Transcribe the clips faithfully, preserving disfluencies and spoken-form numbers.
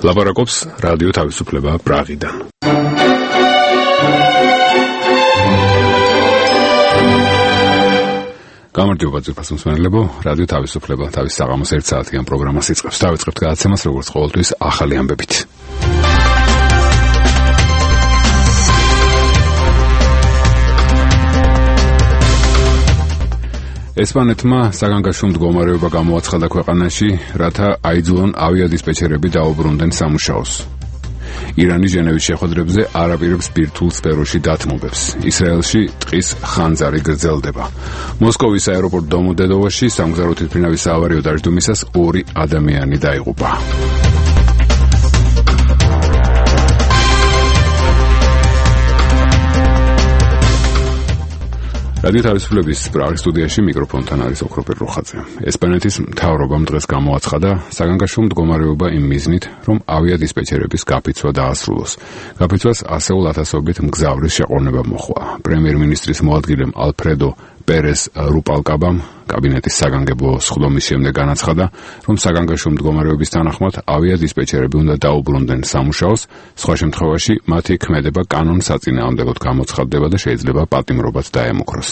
ლაპარაკობს რადიო თავისუფლება პრაღიდან. გამარჯობა ძვირფას მსმენელებო, რადიო თავისუფლება თავის საღამოს ერთ საათიან პროგრამას იწყებს. დავიწყებთ გადაცემას როგორც ყოველთვის ახალი ამბებით. ესპანეთმა საგანგაშო მდგომარეობა გამოაცხადა ქვეყანაში, რათა აიძულონ ავიადისპეჩერები დაუბრუნდნენ სამუშაოს. ირანი ჟენევის შეხვედრებზე არ აპირებს ბირთვულ სფეროში დათმობებს. ისრაელში ტყის ხანძარი გრძელდება. მოსკოვის აეროპორტ დომოდედოვოში სამგზავრო თვითმფრინავის საავარიო დაждდომისას ორი ადამიანი დაიღუპა. რადიო თავისუფლების პრაღის სტუდიაში მიკროფონთან არის ოქროპერ როხაძე. ესპანეთის მთავრობამ დღეს გამოაცხადა საგანგაშო მდგომარეობა იმ მიზნით, რომ ავიადისპეჩერების გაფიცვა დაასრულოს. გაფიცვას ასეულ ათასობით მგზავრის შეყოლნება მოჰყვა. პრემიერ-მინისტრის მოადგილემ ალფრედო პერეს რუპალკაბამ კაბინეტის საგანგებო სხდომის შემდეგ განაცხადა, რომ საგანგაშო მდგომარეობის თანახმად ავიადისპეჩერები უნდა დაუბრუნდნენ სამუშაოს, სხვა შემთხვევაში მათი ქმედება კანონსაწინააღმდეგოდ გამოცხადდება და შეიძლება პატიმრობაც დაემუქროს.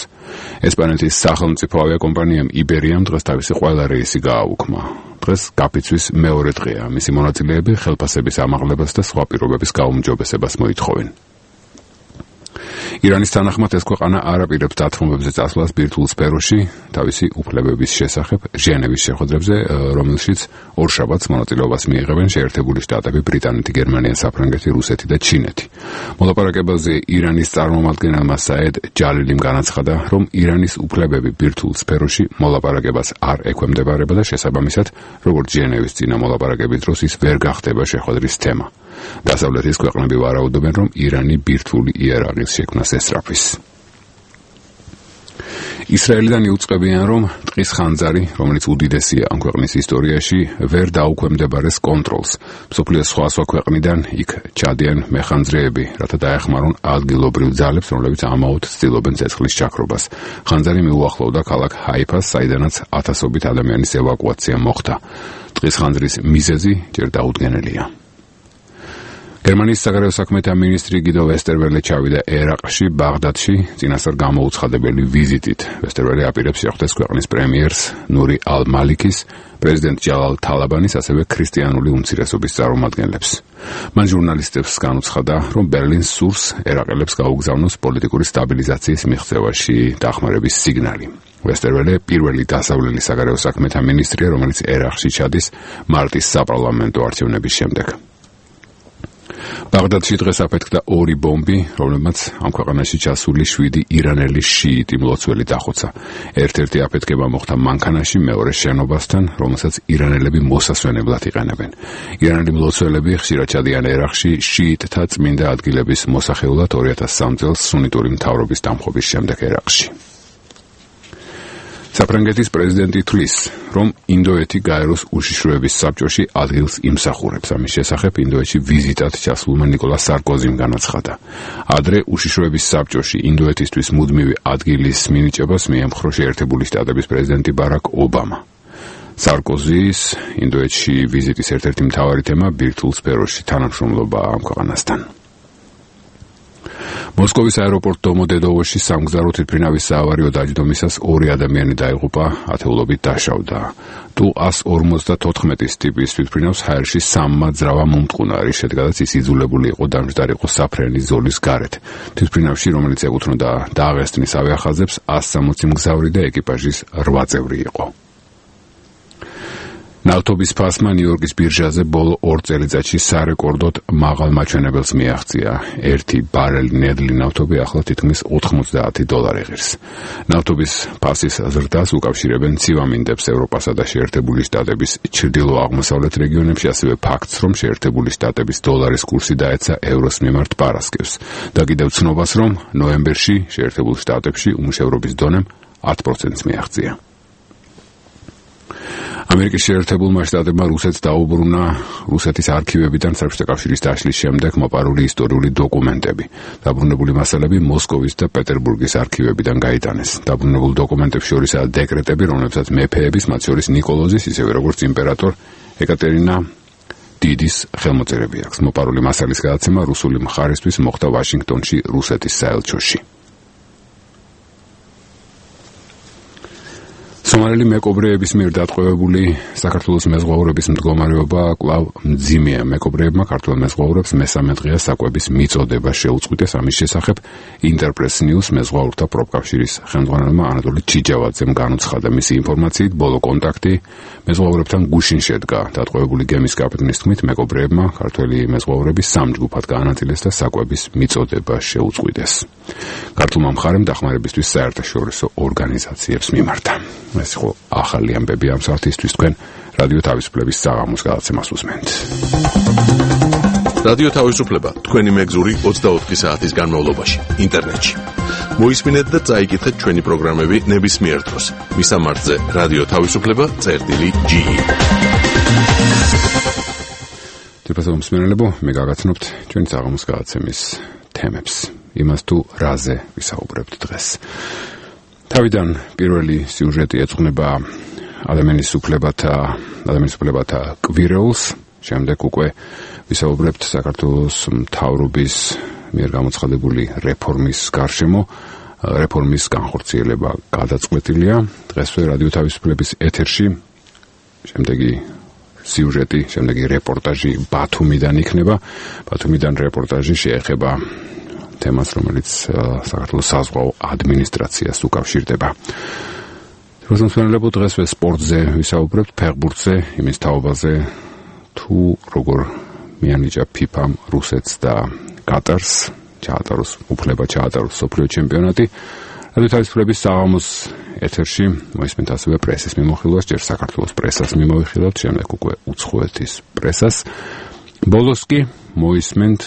ესპანეთის სახელმწიფო ავიაკომპანიამ იბერიამ დღეს თავისი ყველა რეისი გააუქმა. დღეს გაფიცვის მეორე დღეა. მისი მონაწილეები ხელფასების ამაღლებას და სხვა პირობების გაუმჯობესებას მოითხოვენ. ირანის თანახმად ეს ქვეყანა არ აპირებს დათმობებზე წასვლას ბირთვულ სფეროში თავისი უფლებების შესახებ ჟენევის შეხვედრებზე, რომელშიც ორშაბათს მონაწილეობას მიიღებენ შეერთებული შტატები, ბრიტანეთი, გერმანია, საფრანგეთი, რუსეთი და ჩინეთი. მოლაპარაკებაზე ირანის წარმომადგენელმა საედ ჯალილიმ განაცხადა, რომ ირანის უფლებები ბირთვულ სფეროში მოლაპარაკებას არ ექვემდებარება და შესაბამისად, როგორც ჟენევის წინა მოლაპარაკების დროს ის ვერ გახდება შეხვედრის თემა. დასავლეთის ქვეყნები ვარაუდობენ, რომ ირანი ბირთვული იარაღის შექმნას ესწრაფვის. ისრაელიდან იუწყებიან, რომ ტყის ხანძარი, რომელიც უდიდესია ამ ქვეყნის ისტორიაში, ვერ დაუქვემდებარეს კონტროლს. მსოფლიოს სხვა სხვა ქვეყნიდან იქ ჩადიან მეხანძრეები, რათა დაეხმარონ ადგილობრივ ძალებს, რომლებიც ამაოდ ცდილობენ ცეცხლის ჩაქრობას. ხანძარი მიუახლოვდა ქალაქ ჰაიფას, საიდანაც ათასობით ადამიანის ევაკუაცია მოხდა. ტყის ხანძრის მიზეზი ჯერ დაუდგენელია. გერმანიის საგარეო საქმეთა მინისტრი გიდო ვესტერველე ჩავიდა ერაყში, ბაღდადში, წინასწარ გამოუცხადებელი ვიზიტით. ვესტერველე აპირებს შეხვდეს ქვეყნის პრემიერს ნური ალ-მალიქის, პრეზიდენტ ჯალალ თალაბანის, ასევე ქრისტიანული უმცირესობის წარმომადგენლებს. მან ჟურნალისტებს განუცხადა, რომ ბერლინს სურს ერაყელებს გაუგზავნოს პოლიტიკური სტაბილიზაციის მიღწევაში დახმარების სიგნალი. ვესტერველე პირველი დასავლელი საგარეო საქმეთა მინისტრია, რომელიც ერაყში ჩადის მარტის საპარლამენტო არჩევნების შემდეგ. ბაღდადში დღეს აფეთქდა ორი ბომბი, რომლებმაც ამ ქვეყანაში ჩასული შვიდი ირანელი შიიტი მლოცველი დახოცა. ერთ-ერთი აფეთქება მოხდა მანქანაში, მეორე შენობასთან, რომელსაც ირანელები მოსასვენებლად იყენებენ. ირანელი მლოცველები ხშირად ჩადიან ერაყში შიიტთა წმინდა ადგილების მოსახეულად ორი ათას სამი წელს სუნიტური მთავრობის დამხობის შემდეგ ერაყში. საფრანგეთის პრეზიდენტი თვლის, რომ ინდოეთი გაეროს უშიშროების საბჭოში ადგილს იმსახურებს. ამის შესახებ ინდოეთში ვიზიტად ჩასულმა ნიკოლას სარკოზიმ განაცხადა. ადრე უშიშროების საბჭოში ინდოეთისთვის მუდმივი ადგილის მინიჭებას მიემხრო შეერთებული შტატების პრეზიდენტი ბარაკ ობამა. სარკოზის ინდოეთში ვიზიტის ერთ-ერთი მთავარი თემა ბირთვულ სფეროში თანამშრომლობა ამ ქვეყანასთან. მოსკოვის აეროპორტ დომოდედოვოში სამგზავრო თვითმფრინავის საავარიო დაჯდომისას ორი ადამიანი დაიღუპა, ათეულობით დაშავდა. ტუ ას ორმოცდათოთხმეტის ტიპის თვითმფრინავს ჰაერში სამმა ძრავა მომტყუნა, რის შედეგადაც ის იძულებული იყო დამჯდარიყო საფრენი ზოლის გარეთ. თვითმფრინავში, რომელიც ეკუთვნოდა დაღესტნის ავიახაზებს, ას სამოცი მგზავრი და ეკიპაჟის რვა წევრი იყო. ნავთობის ფასმა ნიუ-იორკის ბირჟაზე ბოლო ორ წელიწადში სარეკორდოდ მაღალ მაჩვენებელს მიაღწია. ერთი ბარელი ნედლი ნავთობი ახლა თითქმის ოთხმოცდაათი დოლარი ღირს. ნავთობის ფასის ზრდას უკავშირებენ ცივამინდებს ევროპასა და შეერთებული შტატების ჩრდილო-აღმოსავლეთ რეგიონებში, ასევე ფაქტს, რომ შეერთებული შტატების დოლარის კურსი დაეცა ევროს მიმართ პარასკევს და კიდევ ცნობას, რომ ნოემბერში შეერთებულ შტატებში უმუშევრობის დონემ ათ პროცენტს მიაღწია. ამერიკის შეერთებულმა შტატებმა რუსეთს დაუბრუნა რუსეთის არქივებიდან საბჭოთა კავშირის დაშლის შემდეგ მოპარული ისტორიული დოკუმენტები. დაბრუნებული მასალები მოსკოვის და პეტერბურგის არქივებიდან გაიტანეს. დაბრუნებულ დოკუმენტებს შორისაა დეკრეტები, რომლებსაც მეფეების, მათ შორის ნიკოლოზის, ისევე როგორც იმპერატორ ეკატერინა დიდის ხელმოწერები აქვს. მოპარული მასალის გადაცემა რუსული მხარისთვის მოხდა ვაშინგტონში, რუსეთის საელჩოში. სომალელი მეკობრეების მიერ დატყვევებული საქართველოს მეზღვაურების მდგომარეობა კვლავ მძიმეა. მეკობრეებმა ქართველ მეზღვაურებს მესამე დღეა საკვების მიწოდება შეუწყვიტეს. ამის შესახებ ინტერპრეს ნიუს მეზღვაურთა პროფკავშირის ხელმძღვანელმა ანატოლი ჩიჯავაძემ განუცხადა. მისი ინფორმაციით, ბოლო კონტაქტი მეზღვაურებთან გუშინ შედგა. დატყვევებული გემის კაპიტნის თქმით, მეკობრეებმა ქართველი მეზღვაურები სამ ჯგუფად გაანაწილეს და საკვების მიწოდება შეუწყვიტეს. ქართულმა მხარემ დახმარებისთვის საერთაშორისო ორგანიზაციებს მიმართა. ეს იყო ახალი ამბები ამ საათისთვის. თქვენ რადიო თავისუფლების საღამოს გადაცემას უსმენთ. რადიო თავისუფლება თქვენი მეგზური ოცდაოთხი საათის განმავლობაში ინტერნეტში. მოისმინეთ და წაიკითხეთ ჩვენი პროგრამები ნებისმიერ დროს. მისამართზე რადიო თავისუფლება წერტილი ჯი ი. თვითონ მსმენელებო, მე გაგაცნობთ ჩვენი საღამოს გადაცემის თემებს. იმას თუ რაზე ვისაუბრებთ დღეს. თავიდან პირველი სიუჟეტი ეძღვნება ადამიანის უფლებათა ადამიანის უფლებათა კვირეულს, შემდეგ უკვე ვისაუბრებთ საქართველოს მთავრობის მიერ გამოცხადებული რეფორმის გარშემო. რეფორმის განხორციელება გადაწყვეტილია. დღესვე რადიო თავისუფლების ეთერში შემდეგი სიუჟეტი, შემდეგი რეპორტაჟი ბათუმიდან იქნება. ბათუმიდან რეპორტაჟი შეეხება თემას, რომელიც საქართველოს საზღვაო ადმინისტრაციას უკავშირდება. რუსეთელებო დღესვე სპორტზე ვისაუბრებთ, ფეხბურთზე, იმის თაობაზე, თუ როგორ მიანიჭა ფიფამ რუსეთს და კატარს, ჩაატაროს უფლება ჩაატაროს სოფლიო ჩემპიონატი. რადიო თავისუფლების საღამოს ეთერში მოისმენთ ასევე პრესის მიმოხილვას, ჯერ საქართველოს პრესას მიმოვიხილავთ, შემდეგ უკვე უცხოეთის პრესას. ბოლოს კი მოისმენთ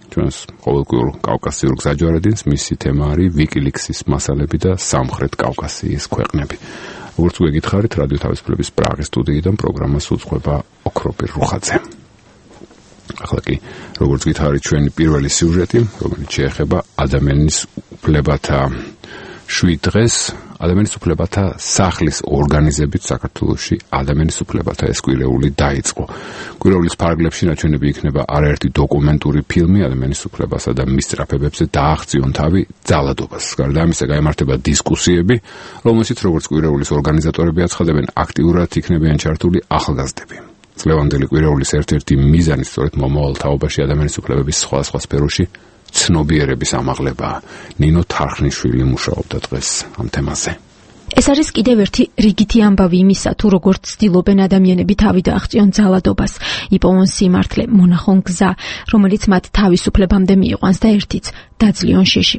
ჩვენს ყოველკვირ კავკასიურ გზაჯვარედინს, მისი თემა არის ვიკილიქსის მასალები და სამხრეთ კავკასიის ქვეყნები. როგორც გეკითხარით, რადიო თავისუფლების პრაღის სტუდიიდან პროგრამას უძღვება ოქროპირ რუხაძე. ახლა კი, როგორც გითხარით, ჩვენი პირველი სიუჟეტი, რომელიც შეეხება ადამიანის უფლებათა შვიდ დღეს, ადამიანის უფლებათა სახლის ორგანიზებით საქართველოში ადამიანის უფლებათა ეს კვირეული დაიწყო. კვირეულის ფარგლებში ნაჩვენები იქნება არაერთი დოკუმენტური ფილმი ადამიანის უფლებასა და მის სწრაფებებზე დააღწიონ თავი ძალადობას. გარდა ამისა, გაიმართება დისკუსიები, რომელშიც როგორც კვირეულის ორგანიზატორები აცხადებენ, აქტიურად იქნებიან ჩართული ახალგაზრდები. წლევანდელი კვირეულის ერთ-ერთი მიზანი სწორედ მომავალ თაობაში ადამიანის უფლებების სხვადასხვა სფეროში ცნობიერების ამაღლებაა. ნინო თარხნიშვილი მუშაობდა დღეს ამ თემაზე. ეს არის კიდევ ერთი რიგითი ამბავი იმისა, თუ როგორც ცდილობენ ადამიანები თავი დააღწიონ ძალადობას, იპოვონ სიმართლე, მონახონ გზა, რომელიც მათ თავისუფლებამდე მიიყვანს და ერთიც დაძლიონ შიში.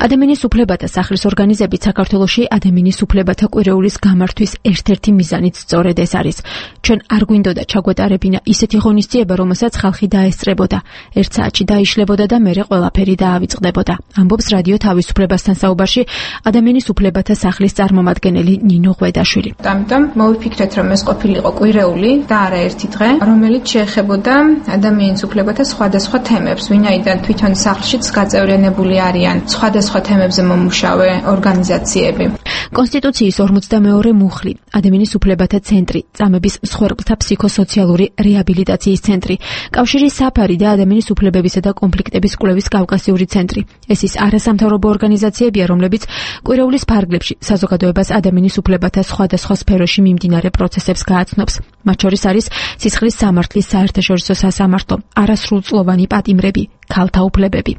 ადამიანის უფლებათა სახლის ორგანიზებით საქართველოში ადამიანის უფლებათა კვირეულის გამართვის ერთ-ერთი მიზანიც სწორედ ეს არის. ჩვენ არ გვინდოდა ჩაგვეტარებინა ისეთი ღონისძიება, რომელსაც ხალხი დაესწრებოდა, ერთ საათში დაიშლებოდა და მერე ყველაფერი დაავიწყდებოდა. ამბობს რადიო თავისუფლებასთან საუბარში ადამიანის უფლებათა სახლის წარმომადგენელი ნინო ღვედაშვილი. ამიტომ მოვიფიქრეთ, რომ ეს ყოფილიყო კვირეული და არა ერთი დღე, რომელიც შეეხებოდა ადამიანის უფლებათა სხვადასხვა თემებს, ვინაიდან თვითონ სახლშიც გაწევრიანებული არიან სხვადასხვა თემებზე მომუშავე ორგანიზაციები. კონსტიტუციის ორმოცდამეორე მუხლი, ადამიანის უფლებათა ცენტრი, წამების მსხვერპლთა ფსიქოსოციალური რეაბილიტაციის ცენტრი, კავშირის საფარი და ადამიანის უფლებებისა და კონფლიქტების კვლევის კავკასიური ცენტრი. ეს ის არასამთავრობო ორგანიზაციებია, რომლებიც კვირეულის ფარგლებში საზოგადოებას ადამიანის უფლებათა სხვადასხვა სფეროში მიმდინარე პროცესებს გააცნობს. მათ შორის არის სისხლის სამართლის საერთაშორისო სასამართლო, არასრულწლოვანი პატიმრები, ქალთა უფლებები.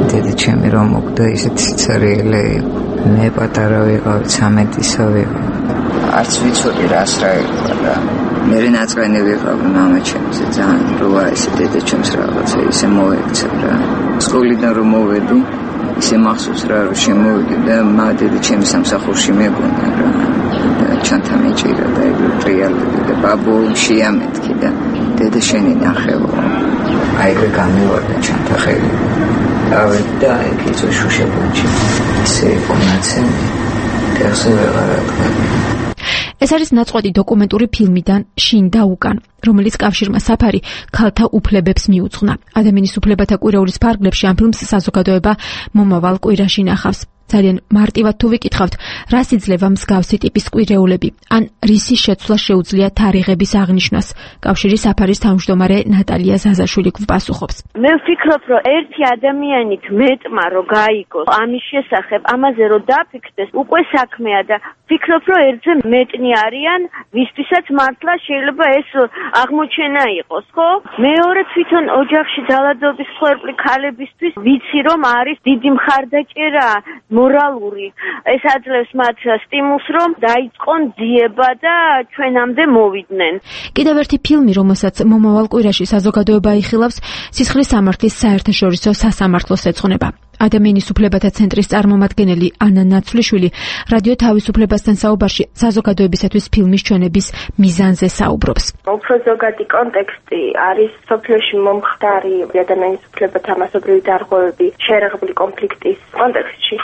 დედა ჩემი რომ მოგდა ისეთი სიცარიელე იყო. მე პატარა ვიყავ, ცამეტისა ვიყავ. არც ვიცოდი რას რა იყო რა. მე ნაწყენი ვიყავ მამა ჩემზე ძალიან როა ესე დედა ჩემს რაღაცა ისე მოექცა რა. სკოლიდან რომ მოვედი, ისე მახსოვს რა რომ შემოვიდი და მა დედა ჩემი სამსახურში მეგონა რა. ჩანთა მეჭირა და ეგრე ტრიალები და ბაბო შეამეთქი და დედა შენი ნახევო. აი ეგრე გამივარდა ჩანთა ხელი. ავედი და ეგეც შუშებონჩი. ისე კონაცენ კერსე ვეღარაკა. ეს არის ნაწყვეტი დოკუმენტური ფილმიდან შინ და უკან, რომელიც კავშირმა საფარი ქალთა უფლებებს მიუძღვნა. ადამიანის უფლებათა კვირეულის ფარგლებში ამ ფილმს საზოგადოება მომავალ კვირაში ნახავს. ძალიან მარტივად თუ ვიკითხავთ, რას იძლევა მსგავსი ტიპის კვირეულები, ან რისის შეცვლა შეუძლია თარიღების აღნიშვნას, კავშირის საფარის თავმჯდომარე ნატალია ზაზაშვილი გვპასუხობს. მე ვფიქრობ, რომ ერთი ადამიანით მეტმა რო გაიგოს ამის შესახებ, ამაზე რო დაფიქრდეს, უკვე საქმეა და ვფიქრობ, რომ ერთზე მეტნი არიან, ვისთვისაც მართლა შეიძლება ეს აღმოჩენა იყოს, ხო? მეორე თვითონ ოჯახში ძალადობის მსხვერპლი ქალებისთვის ვიცი, რომ არის დიდი მხარდაჭერა მორალური. ეს აძლევს მათ სტიმულს, რომ დაიწყონ ძიება და ჩვენამდე მოვიდნენ. კიდევ ერთი ფილმი, რომელსაც მომავალ კვირაში საზოგადოება იხილავს, სისხლის სამართლის საერთაშორისო სასამართლოს ეძღვნება. ადამიანის უფლებათა ცენტრის წარმომადგენელი ანა ნაცვლიშვილი რადიო თავისუფლებასთან საუბარში საზოგადოებისათვის ფილმის ჩვენების მიზანზე საუბრობს. უფრო ზოგადი კონტექსტი არის სოფლიოში მომხდარი ადამიანის უფლებათა მასობრივი დარღვევები შეერაღებული კონფლიქტის კონტექსტში.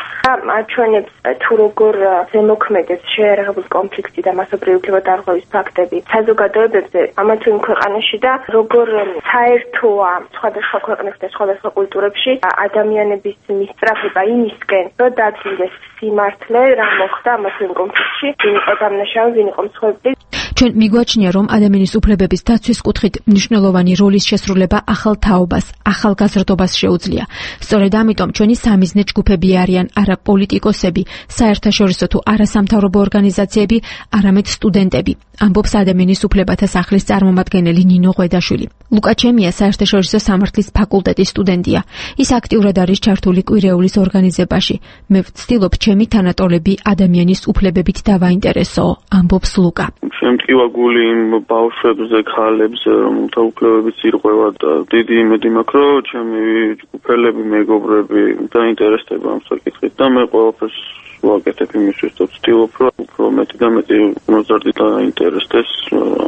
აჩვენებს თუ როგორ ზემოქმედებს შეერაღებული კონფლიქტი და მასობრივი უფლებათა დარღვევის ფაქტები საზოგადოებებზე ამა თუ იმ ქვეყანაში და როგორ საერთოა სხვადასხვა ქვეყნებში და სხვადასხვა კულტურებში ადამიანების მისწრაფება იმისკენ, რომ დადგინდეს სიმართლე, რა მოხდა ამას იმ კონფლიქტში, ვინ იყო დამნაშავე, ვინ იყო მსხვერპლი. ჩვენ მიგვაჩნია, რომ ადამიანის უფლებების დაცვის კუთხით მნიშვნელოვანი როლის შესრულება ახალ თაობას, ახალ გაზრდობას შეუძლია. სწორედ ამიტომ ჩვენი სამიზნე ჯგუფები არიან არა პოლიტიკოსები, საერთაშორისო თუ არასამთავრობო ორგანიზაციები, არამედ სტუდენტები. ამბობს ადამიანის უფლებათა სახლის წარმომადგენელი ნინო ღვედაშვილი. ლუკა ჩემია საერთაშორისო სამართლის ფაკულტეტის სტუდენტია. ის აქტიურად არის ჩართული კვირეულის ორგანიზებაში. მე ვცდილობ ჩემი თანატოლები ადამიანის უფლებებით დავაინტერესო, ამბობს ლუკა. შემტკივა გული იმ ბავშვებზე, ქალებზე, რომელთა უფლებებიც ირღვევა და დიდი იმედი მაქვს, რომ ჩემი ჯგუფელები, მეგობრები დაინტერესდება ამ საკითხით და მე ყველაფერს ვაკეთებ იმისთვის, რომ ვცდილობ, რომ უფრო მეტი და მეტი მოზარდი დაინტერესდეს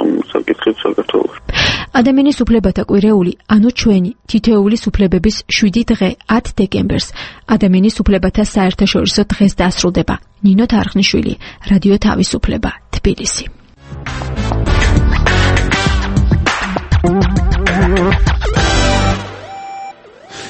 ამ საკითხით საქართველოში. ადამიანის უფლებათა კვირეული, ანუ ჩვენი თითოეულის უფლებების შვიდი დღე ათ დეკემბერს ადამიანის უფლებათა საერთაშორისო დღეს დასრულდება. ნინო თარხნიშვილი, რადიო თავისუფლება, თბილისი.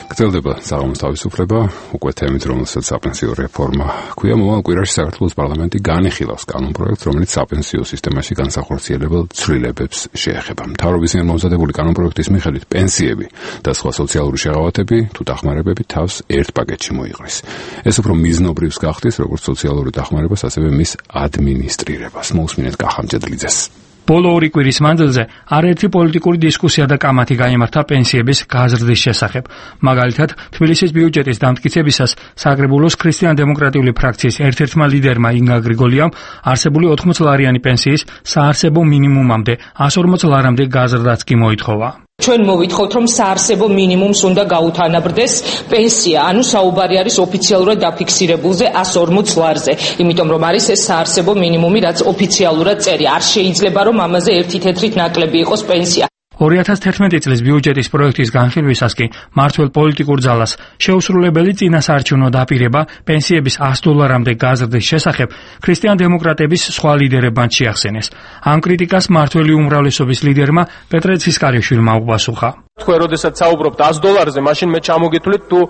გრძელდება საღამოს თავისუფლება, უკვე თემით, რომელსაც საპენსიო რეფორმა ჰქვია. მომავალ კვირაში საქართველოს პარლამენტი განიხილავს კანონპროექტს, რომელიც საპენსიო სისტემაში განსახორციელებელ ცვლილებებს შეეხება. მთავრობის მიერ მომზადებული კანონპროექტის მიხედვით პენსიები და სხვა სოციალური შეღავათები თუ დახმარებები თავს ერთ პაკეტში მოიყრის. ეს უფრო მიზნობრივს გახდის როგორც სოციალური დახმარებას, ასევე მის ადმინისტრირებას. მოусმინეთ კახამჯედლიძეს. ბოლო ორი კვირის მანძილზე არაერთი პოლიტიკური დისკუსია და კამათი გაიმართა პენსიების გაზრდის შესახებ. მაგალითად, თბილისის ბიუჯეტის დამტკიცებისას საკრებულოს ქრისტიან-დემოკრატიული ფრაქციის ერთ-ერთმა ლიდერმა ინგა გრიგოლიამ არსებული ოთხმოც ლარიანი პენსიის საარსებო მინიმუმამდე εκατს ორმოც ლარამდე გაზრდაც კი მოითხოვა. ჩვენ მოვითხოვთ, რომ საარსებო მინიმუმს უნდა გაუთანაბრდეს პენსია, ანუ საუბარი არის ოფიციალურად დაფიქსირებულზე εκατს ორმოც ლარზე, იმიტომ რომ არის ეს საარსებო მინიმუმი, რაც ოფიციალურად წერია. არ შეიძლება რომ ამაზე ერთი თეთრით ნაკლები იყოს პენსია. ორი ათას თერთმეტი წლის ბიუჯეტის პროექტის განხილვისას კი მართველ პოლიტიკურ ძალას შეუსრულებელი წინასაარჩევნო დაპირება პენსიების εκατს დოლარამდე გაზრდის შესახებ ქრისტიან-დემოკრატების სხვა ლიდერებმა შეახსენეს. ამ კრიტიკას მართველი უმრავლესობის ლიდერმა პეტრე ცისკარიშვილმა უპასუხა. თქვენ როდესაც საუბრობთ εκατს დოლარზე, მაშინ მე ჩამოგითვლით თუ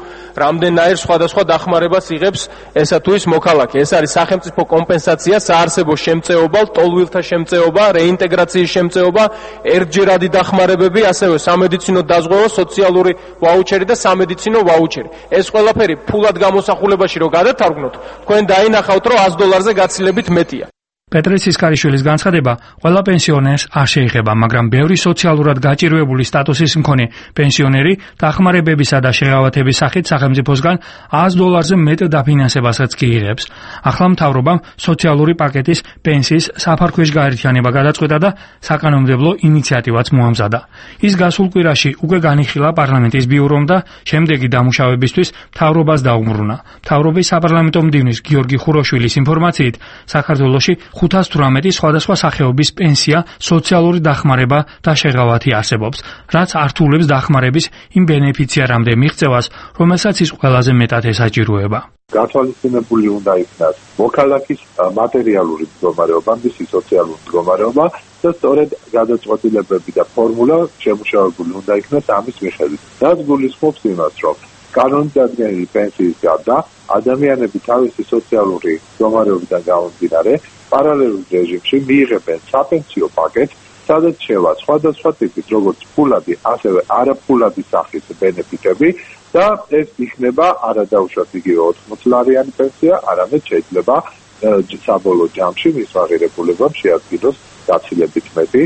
რამდენაირ სხვადასხვა დახმარებას იღებს ესა თუ ის მოქალაქე. ეს არის სახელმწიფო კომპენსაცია, საარსებო შემწეობა, ტოლვილთა შემწეობა, რეინტეგრაციის შემწეობა, ერთჯერადი დახმარებები, ასევე სამედიცინო დაზღვევა, სოციალური ვაუჩერი და სამედიცინო ვაუჩერი. ეს ყველაფერი ფულად გამოსახულებაში რო გადათარგმნოთ, თქვენ დაინახავთ, რომ εκατს დოლარზე გაცილებით მეტია. პეტრე ცისკარიშვილის განცხადება ყველა პენსიონერს არ შეეხება, მაგრამ ბევრი სოციალურად გაჭირვებული სტატუსის მქონე პენსიონერი დახმარებებისა და შეღავათების სახით სახელმწიფოსგან εκατს დოლარზე მეტ დაფინანსებასაც კი იღებს. ახლა მთავრობამ სოციალური პაკეტის პენსიის საფარქვეშ გაერთიანება გადაწყვეტა და საკანონმდებლო ინიციატივაც მოამზადა. ის გასულ კვირაში უკვე განიხილა პარლამენტის ბიურომ და შემდეგი დამუშავებისთვის მთავრობას დაუბრუნა. მთავრობის საპარლამენტო მდივნის გიორგი ხუროშვილის ინფორმაციით, საქართველოში ხუთას თვრამეტი სხვადასხვა სახეობის პენსია, სოციალური დახმარება და შეღავათი არსებობს, რაც ართულებს დახმარების იმ ბენეფიციარამდე მიღწევას, რომელსაც ის ყველაზე მეტად ესაჭიროება. გათვალისწინებული უნდა იქნას მოქალაქის მატერიალური მდგომარეობა, მისი სოციალური მდგომარეობა და სწორედ გადაწყვეტილებები და ფორმულა შემუშავებული უნდა იქნას ამის მიხედვით. რაც გულისხმობს იმას, რომ კანონმდებლობის პენსიის გარდა ადამიანები თავისი სოციალური მდგომარეობიდან გამომდინარე პარალელურ რეჟიმში მიიღებენ საპენსიო პაკეტს, სადაც შევა სხვადასხვა ტიპის, როგორც ფულადი, ასევე არაფულადი სახის ბენეფიტები და ეს იქნება არადაუშვათ იგივე ოთხმოცლარიანი პენსია, არამედ შეიძლება საბოლოო ჯამში მის აღირებულებამ შეადგინოს გაცილებით მეტი,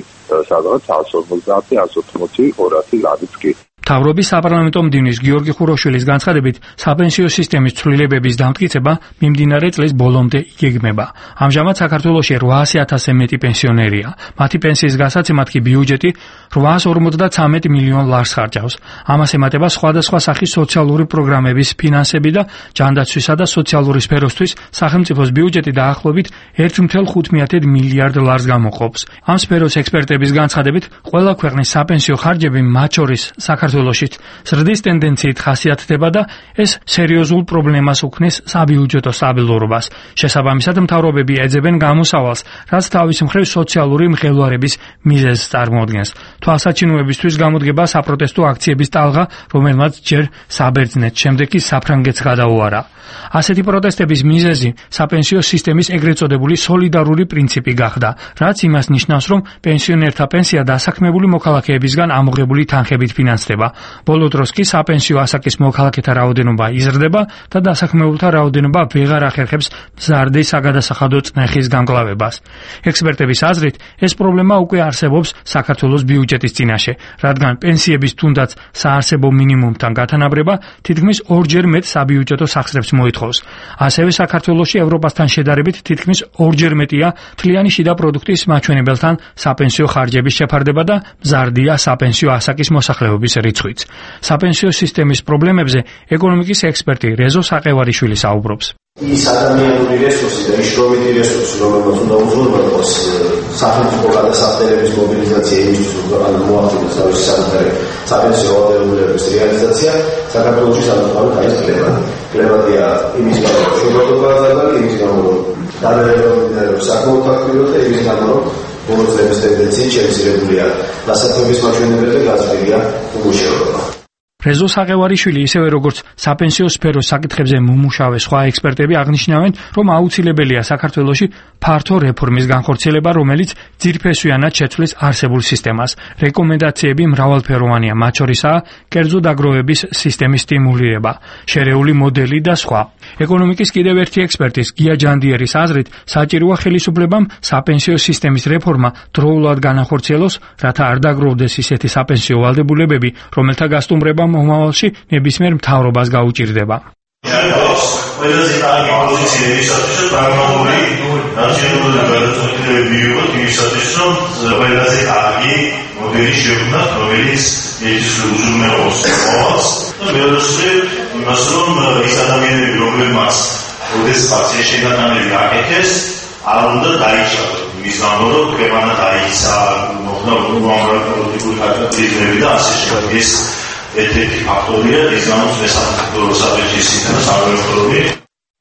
სადღაც εκατს ორმოცდაათი, εκατს ოთხმოცი, ორასი ლარიც კი. მთავრობის საპარლამენტო მდივნის გიორგი ხუროშვილის განცხადებით, საპენსიო სისტემის ცვლილებების დამტკიცება მიმდინარე წლის ბოლომდე იგეგმება. ამჟამად საქართველოში რვაასი ათასზე მეტი პენსიონერია. მათი პენსიის გასაცემად კი ბიუჯეტი რვაას ორმოცდათვრამეტ მილიონ ლარს ხარჯავს. ამას ემატება სხვადასხვა სახის სოციალური პროგრამების ფინანსები და ჯანდაცვისა და სოციალური სფეროსთვის სახელმწიფოს ბიუჯეტი დაახლოებით ერთ წუთი ხუთი მილიარდ ლარს გამოყოფს. ამ სფეროს ექსპერტების განცხადებით, ყველა ქვეყნის საპენსიო ხარჯები, მათ შორის საქართველოშიც ზრდის ტენდენციით ხასიათდება და ეს სერიოზულ პრობლემას უქმნის საბიუჯეტო სტაბილურობას. შესაბამისად, მთავრობები ეძებენ გამოსავალს, რაც თავის მხრივ სოციალური მღელვარების მიზეზს წარმოადგენს. თვალსაჩინოებისთვის გამოდგება საპროტესტო აქციების ტალღა, რომელმაც ჯერ საბერძნეთს, შემდეგ კი საფრანგეთს გადაუარა. ასეთი პროტესტების მიზეზი საპენსიო სისტემის ეგრეთ წოდებული სოლიდარული პრინციპი გახდა, რაც იმას ნიშნავს, რომ პენსიონერთა პენსია დასაქმებული მოქალაქეებისგან ამოღებული თანხებით ფინანსდება. ბოლო დროს კი საპენსიო ასაკის მოქალაქეთა რაოდენობა იზრდება და დასაქმებულთა რაოდენობა ვეღარ ახერხებს მზარდი საგადასახადო წნეხის გამკლავებას. ექსპერტების აზრით, ეს პრობლემა უკვე არსებობს საქართველოს ბიუჯეტის წინაშე, რადგან პენსიების თუნდაც საარსებო მინიმუმთან გათანაბრება თითქმის ორჯერ მეტ საბიუჯეტო სახსრებს მოითხოვს. ასევე საქართველოში ევროპასთან შედარებით თითქმის ორჯერ მეტია თლიანი შიდა პროდუქტის მაჩვენებელთან საპენსიო ხარჯების შეფარდება და მზარდია საპენსიო ასაკის მოსახლეობის რიცხვიც. საპენსიო სისტემის პრობლემებზე ეკონომიკის ექსპერტი რეზო საყევარიშვილი საუბრობს. ის ადამიანური რესურსი და შრომითი რესურსი, რომელმაც უნდა უზრუნველყოს სახელმწიფო გადასახადების მობილიზაცია იმისთვის, რომ მოახდინოს თავისი საკუთარი საპენსიო ვალდებულების რეალიზაცია, საქართველოში საკუთარი არის კლემატი. კლემატია იმის გამო, რომ შრომადობაა დაბალი, იმის გამო, რომ დაბალება საკმაოდ აქტიურია და იმის გამო, რომ ბოლოსების ტენდენციით შემცირებულია დასაქმების მაჩვენებელი და გაზრდილია უმუშევრობა. რეზო საყევარიშვილი ისევე როგორც საპენსიო სფეროს საკითხებზე მომუშავე სხვა ექსპერტები აღნიშნავენ, რომ აუცილებელია საქართველოში ფართო რეფორმის განხორციელება, რომელიც ძირფესვიანად შეცვლის არსებულ სისტემას. რეკომენდაციები მრავალფეროვანია, მათ შორისაა კერძო დაგროვების სისტემის სტიმულირება, შერეული მოდელი და სხვა. ეკონომიკის კიდევ ერთი ექსპერტის გია ჯანდიერის აზრით, საჭიროა ხელისუფლებამ საპენსიო სისტემის რეფორმა დროულად განახორციელოს, რათა არ დაგროვდეს ისეთი საპენსიო ვალდებულებები, რომელთა გასტუმრება მომავალში ნებისმიერ მთავრობას გაუჭირდება. ყველაზე კარგი პოზიცია ისაა, რომ პრაგმატული ნაციონალური გადაწყვეტილებები იყოს ისაა, რომ ყველაზე კარგი მოდელი შექმნათ, რომელიც ეს უზრუნველყოფს მოვალს და მეორე იმას, რომ ის ადამიანები, რომლებმაც ოდესღაც ეს შეგატანები აკეთეს, არ უნდა დაიშალოს. იმის გამო, რომ ქვეყანა დაიქცა, მოხდა უამრავი პოლიტიკური კატაკლიზმები და ასე შემდეგ. ეს ერთ-ერთი ფაქტორია, რის გამოც მესამე საპენსიო სისტემას არ ვეფრობი.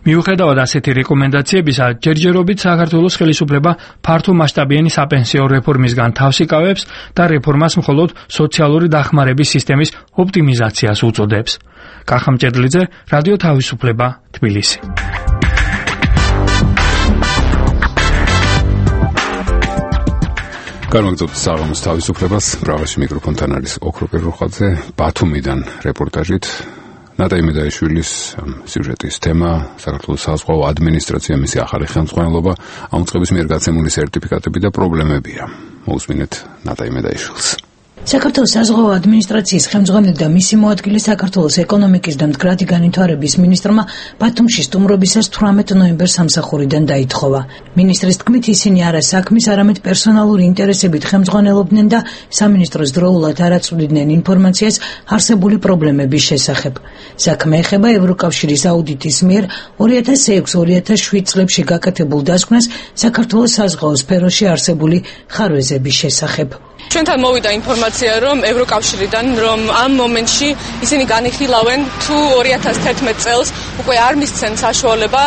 მიუხედავად ასეთი რეკომენდაციებისა, ჯერჯერობით საქართველოს ხელისუფლება ფართო მასშტაბიანი საპენსიო რეფორმისგან თავს იკავებს და რეფორმას მხოლოდ სოციალური დახმარების სისტემის ოპტიმიზაციას უწოდებს. კახა მჭედლიძე, რადიო თავისუფლება, თბილისი. განვაგრძობთ საღამოს თავისუფლებას. ბრავაში მიკროფონთან არის ოქრო პირუხაძე. ბათუმიდან რეპორტაჟით ნატა იმედაიშვილის სიუჟეტის თემა საქართველოს საზღვაო ადმინისტრაცია, მისი ახალი ხელმძღვანელობა, ამ წყების მიერ გაცემული სერტიფიკატები და პრობლემებია. მოусმინეთ ნატა იმედაიშვილს. საქართველოს საზღვაო ადმინისტრაციის ხელმძღვანელი და მისი მოადგილე საქართველოს ეკონომიკის და მდგრადი განვითარების მინისტრმა ბათუმში სტუმრობისას თვრამეტ ნოემბერს სამსახურიდან დაითხოვა. მინისტრის თქმით, ისინი არა საქმის, არამედ პერსონალური ინტერესებით ხელმძღვანელობდნენ და სამინისტროს დროულად არ აწვდიდნენ ინფორმაციას არსებული პრობლემების შესახებ. საქმე ეხება ევროკავშირის აუდიტის მიერ ორი ათას ექვსი ორი ათას შვიდ წლებში გაკეთებულ დასკვნას საქართველოს საზღვაო სფეროში არსებული ხარვეზების შესახებ. ჩვენთან მოვიდა ინფორმაცია, რომ ევროკავშირიდან, რომ ამ მომენტში ისინი განიხილავენ თუ ორი ათას თერთმეტ წელს უკვე არ მისცენ საშუალება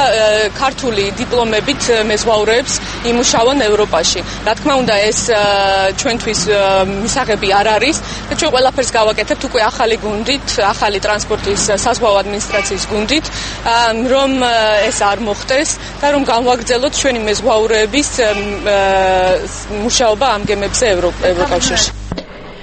ქართული დიპლომებით მეზღვაურებს იმუშაონ ევროპაში. რა თქმა უნდა, ეს ჩვენთვის მისაღები არ არის და ჩვენ ყველაფერს გავაკეთებთ უკვე ახალი გუნდით, ახალი ტრანსპორტის საზღვაო ადმინისტრაციის გუნდით, რომ ეს არ მოხდეს და რომ განვაგრძელოთ ჩვენი მეზღვაურების მუშაობა ამ გემებზე ევროკავშირში.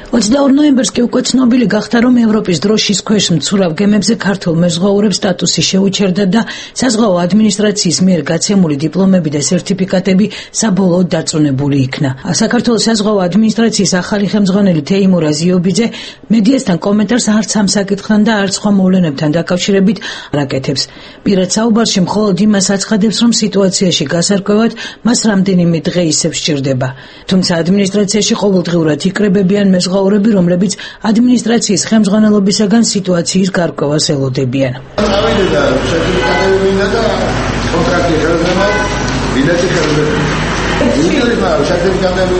ოცდაორი ნოემბერს კი უკვე ცნობილი გახდა, რომ ევროპის დროშის ქვეშ მცურავ გემებზე ქართულ მეზღვაურებს სტატუსი შეუჩერდა და საზღვაო ადმინისტრაციის მიერ გაცემული დიპლომები და სერტიფიკატები საბოლოოდ დაწონებული იქნა. საქართველოს საზღვაო ადმინისტრაციის ახალი ხელმძღვანელი თეიმურ აზიობიძე მედიასთან კომენტარს არც ამ საკითხთან და არც სხვა მოვლენებთან დაკავშირებით არ აკეთებს. პირად საუბარში მხოლოდ იმას აცხადებს, რომ სიტუაციაში გასარკვევად მას რამდენიმე დღე ისევ სჭირდება. თუმცა ადმინისტრაციაში ყოველდღიურად იკრებებიან მეზღვაურები, რომლებიც ადმინისტრაციის ხელმძღვანელობისაგან სიტუაციის გარკვევას ელოდებიან. წავიდე და სერტიფიკატები მინდა და კონტრაქტი ხელდება, ბილეთი ხელდება. მინდა სერტიფიკატები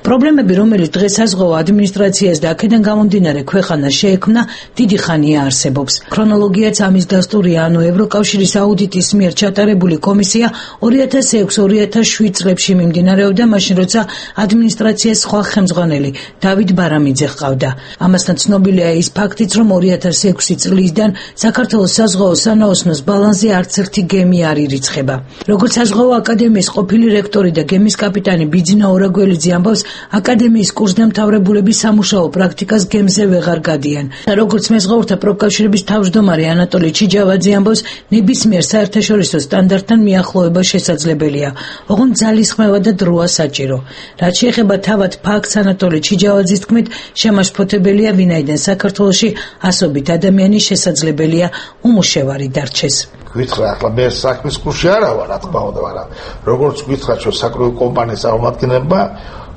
პრობლემები, რომელიც დღეს საზღვაო ადმინისტრაციას და აქედან გამომდინარე ქვეყანას შეექმნა, დიდი ხანია არსებობს. ქრონოლოგიაც ამის დასტურია, ანუ ევროკავშირის აუდიტის მიერ ჩატარებული კომისია ორი ათას ექვსი ორი ათას შვიდ წლებში მიმდინარეობდა, მაშინ როცა ადმინისტრაციას სხვა ხელმძღვანელი დავით ბარამიძე ჰყავდა. ამასთან ცნობილია ის ფაქტიც, რომ ორი ათას ექვსი წლიდან საქართველოს საზღვაო სანაოსნოს ბალანსზე არც ერთი გემი არ ირიცხება. როგორც საზღვაო აკადემიის ყოფილი რექტორი და გემის კაპიტანი ბიძინა ორაგველიძე ამბობს, აკადემიის კურსდამთავრებულები სამუშაო პრაქტიკას გემზე ვეღარ გადიან. როგორც მეზღვაურთა პროფკავშირების თავმჯდომარე ანატოლი ჩიჯავაძე ამბობს, ნებისმიერ საერთაშორისო სტანდარტთან მიახლოება შესაძლებელია, ოღონდ ძალისხმევა და დროა საჭირო. რაც შეეხება თავად ფაქტს, ანატოლი ჩიჯავაძის თქმით, შემაშფოთებელია, ვინაიდან საქართველოში ასობით ადამიანი შესაძლებელია უმუშევარი დარჩეს. გითხრა, ახლა მე საქმის კურსში არა ვარ, რა თქმა უნდა, მაგრამ როგორც გითხრა, ჩვენ საკრებულო კომპანიის წარმომადგენლებმა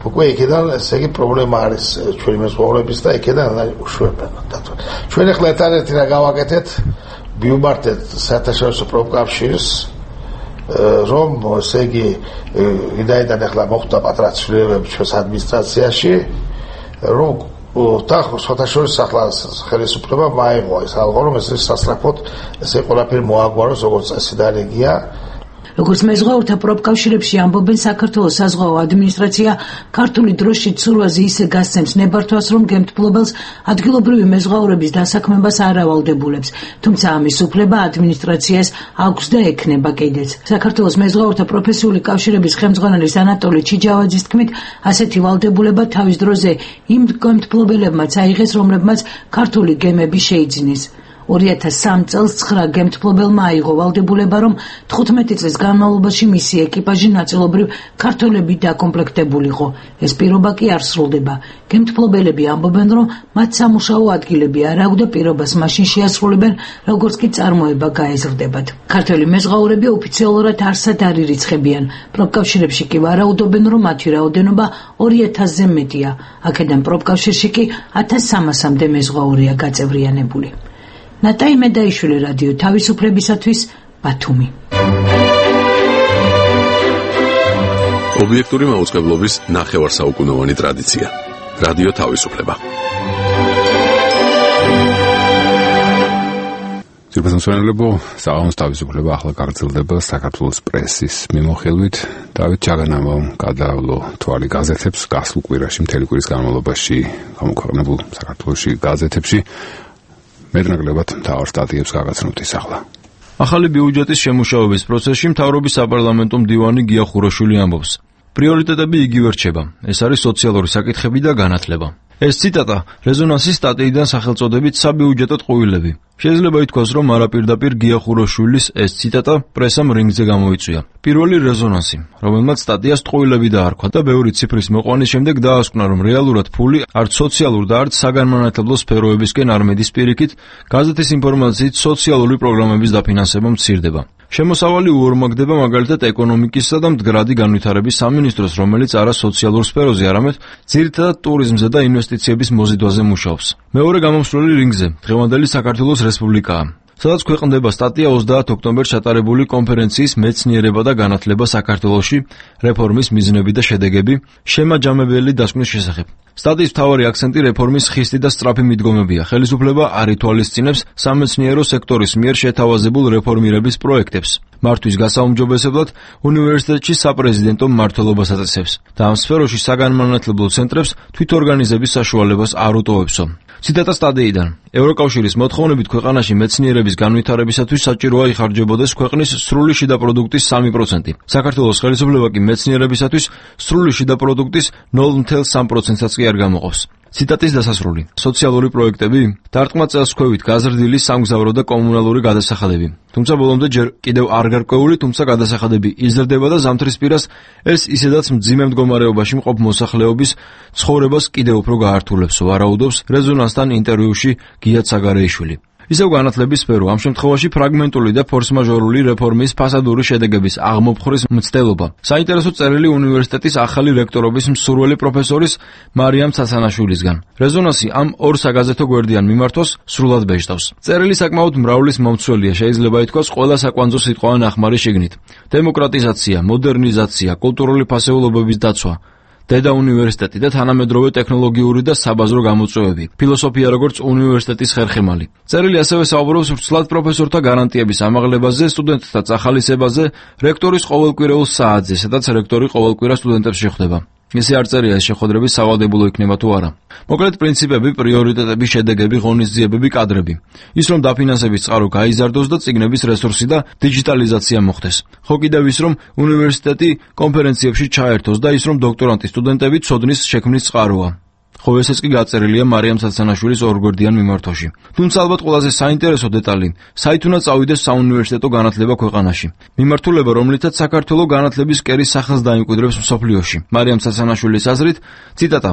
უკვე იქიდან ესე იგი პრობლემა არის ჩვენი მეზღვაურების და იქიდან უშვებენ. ჩვენ ახლა ერთადერთი რა გავაკეთეთ, მივმართეთ საერთაშორისო პროფკავშირს, რომ ესე იგი ვინაიდან ახლა მოხდა პატრა ცვლილებები ჩვენს ადმინისტრაციაში, რომ საერთაშორისო ახლა ხელისუფლება მაიღო ეს ალღო, რომ ეს სასწრაფოდ ესე ყველაფერი მოაგვაროს, როგორც წესი და რეგია. როგორც მეზღვაურთა პროფკავშირებში ამბობენ, საქართველოს საზღვაო ადმინისტრაცია ქართული დროშის ცურვაზე ისე გასცემს ნებართვას, რომ გემთბლობელს ადგილობრივი მეზღვაურების დასაქმებას არ ავალდებულებს, თუმცა ამის უფლება ადმინისტრაციას აქვს და ექნება კიდეც. საქართველოს მეზღვაურთა პროფესიული კავშირების ხელმძღვანელის ანატოლი ჩიჯავაძის თქმით, ასეთი ვალდებულება თავის დროზე იმ გემთბლობელებმაც აიღეს, რომლებმაც ქართული გემები შეიძინეს. ორი ათას სამი წელს ცხრა გემთბლობელმა აიღო ვალდებულება, რომ თხუთმეტი წლის განმავლობაში მისი ეკიპაჟი ნაწილობრივ ქართველებით დაკომპლექტებულიყო. ეს პირობა კი არ სრულდება. გემთბლობელები ამბობენ, რომ მათ სამუშაო ადგილები არ აქვს და პირობას მაშინ შეასრულებენ, როგორც კი წარმოება გაეზრდებათ. ქართველი მეზღვაურები ოფიციალურად არსად არ ირიცხებიან. პროფკავშირებში კი ვარაუდობენ, რომ მათი რაოდენობა ორი ათასზე მეტია. აქედან პროფკავშირში კი ათას სამასამდე მეზღვაურია გაწევრიანებული. ნატაი მედაიშვილი, რადიო თავისუფლებისათვის, ბათუმი. ობიექტური მაუწყებლობის ნახევარსაუკუნოვანი ტრადიცია. რადიო თავისუფლება. ძირფასმსვენელებო, საღამოს თავისუფლება ახლა გაგრძელდება საქართველოს პრესის მიმოხილვით. დავით ჩაგანამომ გადავლო თვალი გაზეთებს გასულ კვირაში, მთელი კვირის განმავლობაში გამოქვეყნებულ საქართველოში გაზეთებში. მეტნაკლებად მთავარ სტატიებს გაგაცნობთ ის ახლა. ახალი ბიუჯეტის შემუშავების პროცესში მთავრობის საპარლამენტო მდივანი გია ხუროშვილი ამბობს, პრიორიტეტები იგივე რჩება. ეს არის სოციალური საკითხები და განათლება. ეს ციტატა რეზონანსის სტატიიდან სახელწოდებით საბიუჯეტო ტყუილები. შეიძლება ითქვას, რომ არაპირდაპირ გია ხუროშვილის ეს ციტატა პრესამ რინგზე გამოიწვია. პირველი რეზონანსი, რომელმაც სტატიას ტყუილები დაარქვა და ბევრი ციფრის მოყვანის შემდეგ დაასკვნა, რომ რეალურად ფული არც სოციალურ და არც საგანმანათლებლო სფეროებისკენ არ მედის პირიქით, გაზეთის ინფორმაციით სოციალური პროგრამების დაფინანსება მცირდება. შემოსავალი უორმაგდება მაგალითად ეკონომიკისა და მდგრადი განვითარების სამინისტროს, რომელიც არა სოციალურ სფეროზე, არამედ ძირითადად ტურიზმზე და ინვესტიციების მოზიდვაზე მუშაობს. მეორე გამომსვლელი რინგზე დღევანდელი საქართველოს რესპუბლიკაა. სადაც ქვეყნდება სტატია ოცდაათ ოქტომბერს ჩატარებული კონფერენციის მეცნიერება და განათლება საქართველოში რეფორმის მიზნები და შედეგები შემაჯამებელი დასკვნის შესახებ. სტატიის მთავარი აქცენტი რეფორმის ხისტი და სწრაფი მიდგომებია. ხელისუფლება არ ითვალისწინებს სამეცნიერო სექტორის მიერ შეთავაზებულ რეფორმირების პროექტებს. მართვის გასაუმჯობესებლად უნივერსიტეტში საპრეზიდენტო მმართველობას აწესებს და ამ სფეროში საგანმანათლებლო ცენტრებს თვითორგანიზების საშუალებას არ უტოვებსო. ციტატა სტატიიდან. ევროკავშირის მოთხოვნებით ქვეყანაში მეცნიერების განვითარებისათვის საჭიროა იხარჯებოდეს ქვეყნის სრული შიდა პროდუქტის სამი პროცენტი. საქართველოს ხელისუფლება კი მეცნიერებისათვის სრული შიდა პროდუქტის ნულ ათეულს სამი პროცენტსაც კი არ გამოყავს. ციტატის დასასრული. სოციალური პროექტები დარტყმა წელსქვევით გაზრდილი სამგზავრო და კომუნალური გადასახადები. თუმცა ბოლომდე ჯერ კიდევ არ გარკვეული, თუმცა გადასახადები იზრდება და ზამთრისპირას ეს ისედაც მძიმე მდგომარეობაში მყოფ მოსახლეობის ცხოვრებას კიდევ უფრო გაართულებს, ვარაუდობს რეზონანსთან ინტერვიუში გია ცაგარეიშვილი. ისევ განათლების სფერო ამ შემთხვევაში ფრაგმენტული და ფორსმაჟორული რეფორმის ფასადური შედეგების აღმოფხვრის მცდელობა. საინტერესო წერილი უნივერსიტეტის ახალი რექტორობის მსურველი პროფესორის მარიამ ცაცანაშვილისგან. რეზონანსი ამ ორ საგაზეთო გვერდიან მიმართვას სრულად ბეჭდავს. წერილი საკმაოდ მრავლის მომცველია, შეიძლება ითქვას ყველა საკვანძო სიტყვა ნახმარი შიგნით. დემოკრატიზაცია, მოდერნიზაცია, კულტურული ფასეულობების დაცვა, დედა უნივერსიტეტი და თანამედროვე ტექნოლოგიური და საბაზრო გამოწვევები, ფილოსოფია როგორც უნივერსიტეტის ხერხემალი. წერილი ასევე საუბრობს ვრცლად პროფესორთა გარანტიების ამაღლებაზე, სტუდენტთა წახალისებაზე, რექტორის ყოველკვირეულ საათზე, სადაც რექტორი ყოველკვირა სტუდენტებს შეხვდება. ისე არ წერია ეს შეხვედრები სავალდებულო იქნება თუ არა. მოკლედ პრინციპები, პრიორიტეტები, შედეგები, ღონისძიებები, კადრები. ის რომ დაფინანსების წყარო გაიზარდოს და წიგნების რესურსი და დიჯიტალიზაცია მოხდეს. ხო კიდევ ის რომ უნივერსიტეტი კონფერენციებში ჩაერთოს და ის რომ დოქტორანტი სტუდენტები ცოდნის შექმნის წყაროა. ხო ესეც კი გაწერილია მარიამ ცაცანაშვილის ორგვერდიან მიმართვაში. თუმცა ალბათ ყველაზე საინტერესო დეტალი, საით უნდა წავიდეს საუნივერსიტეტო განათლება ქვეყანაში. მიმართულება, რომლითაც საქართველოს განათლების კერის სახელს დაიმკვიდრებს მსოფლიოში. მარიამ ცაცანაშვილის აზრით, ციტატა: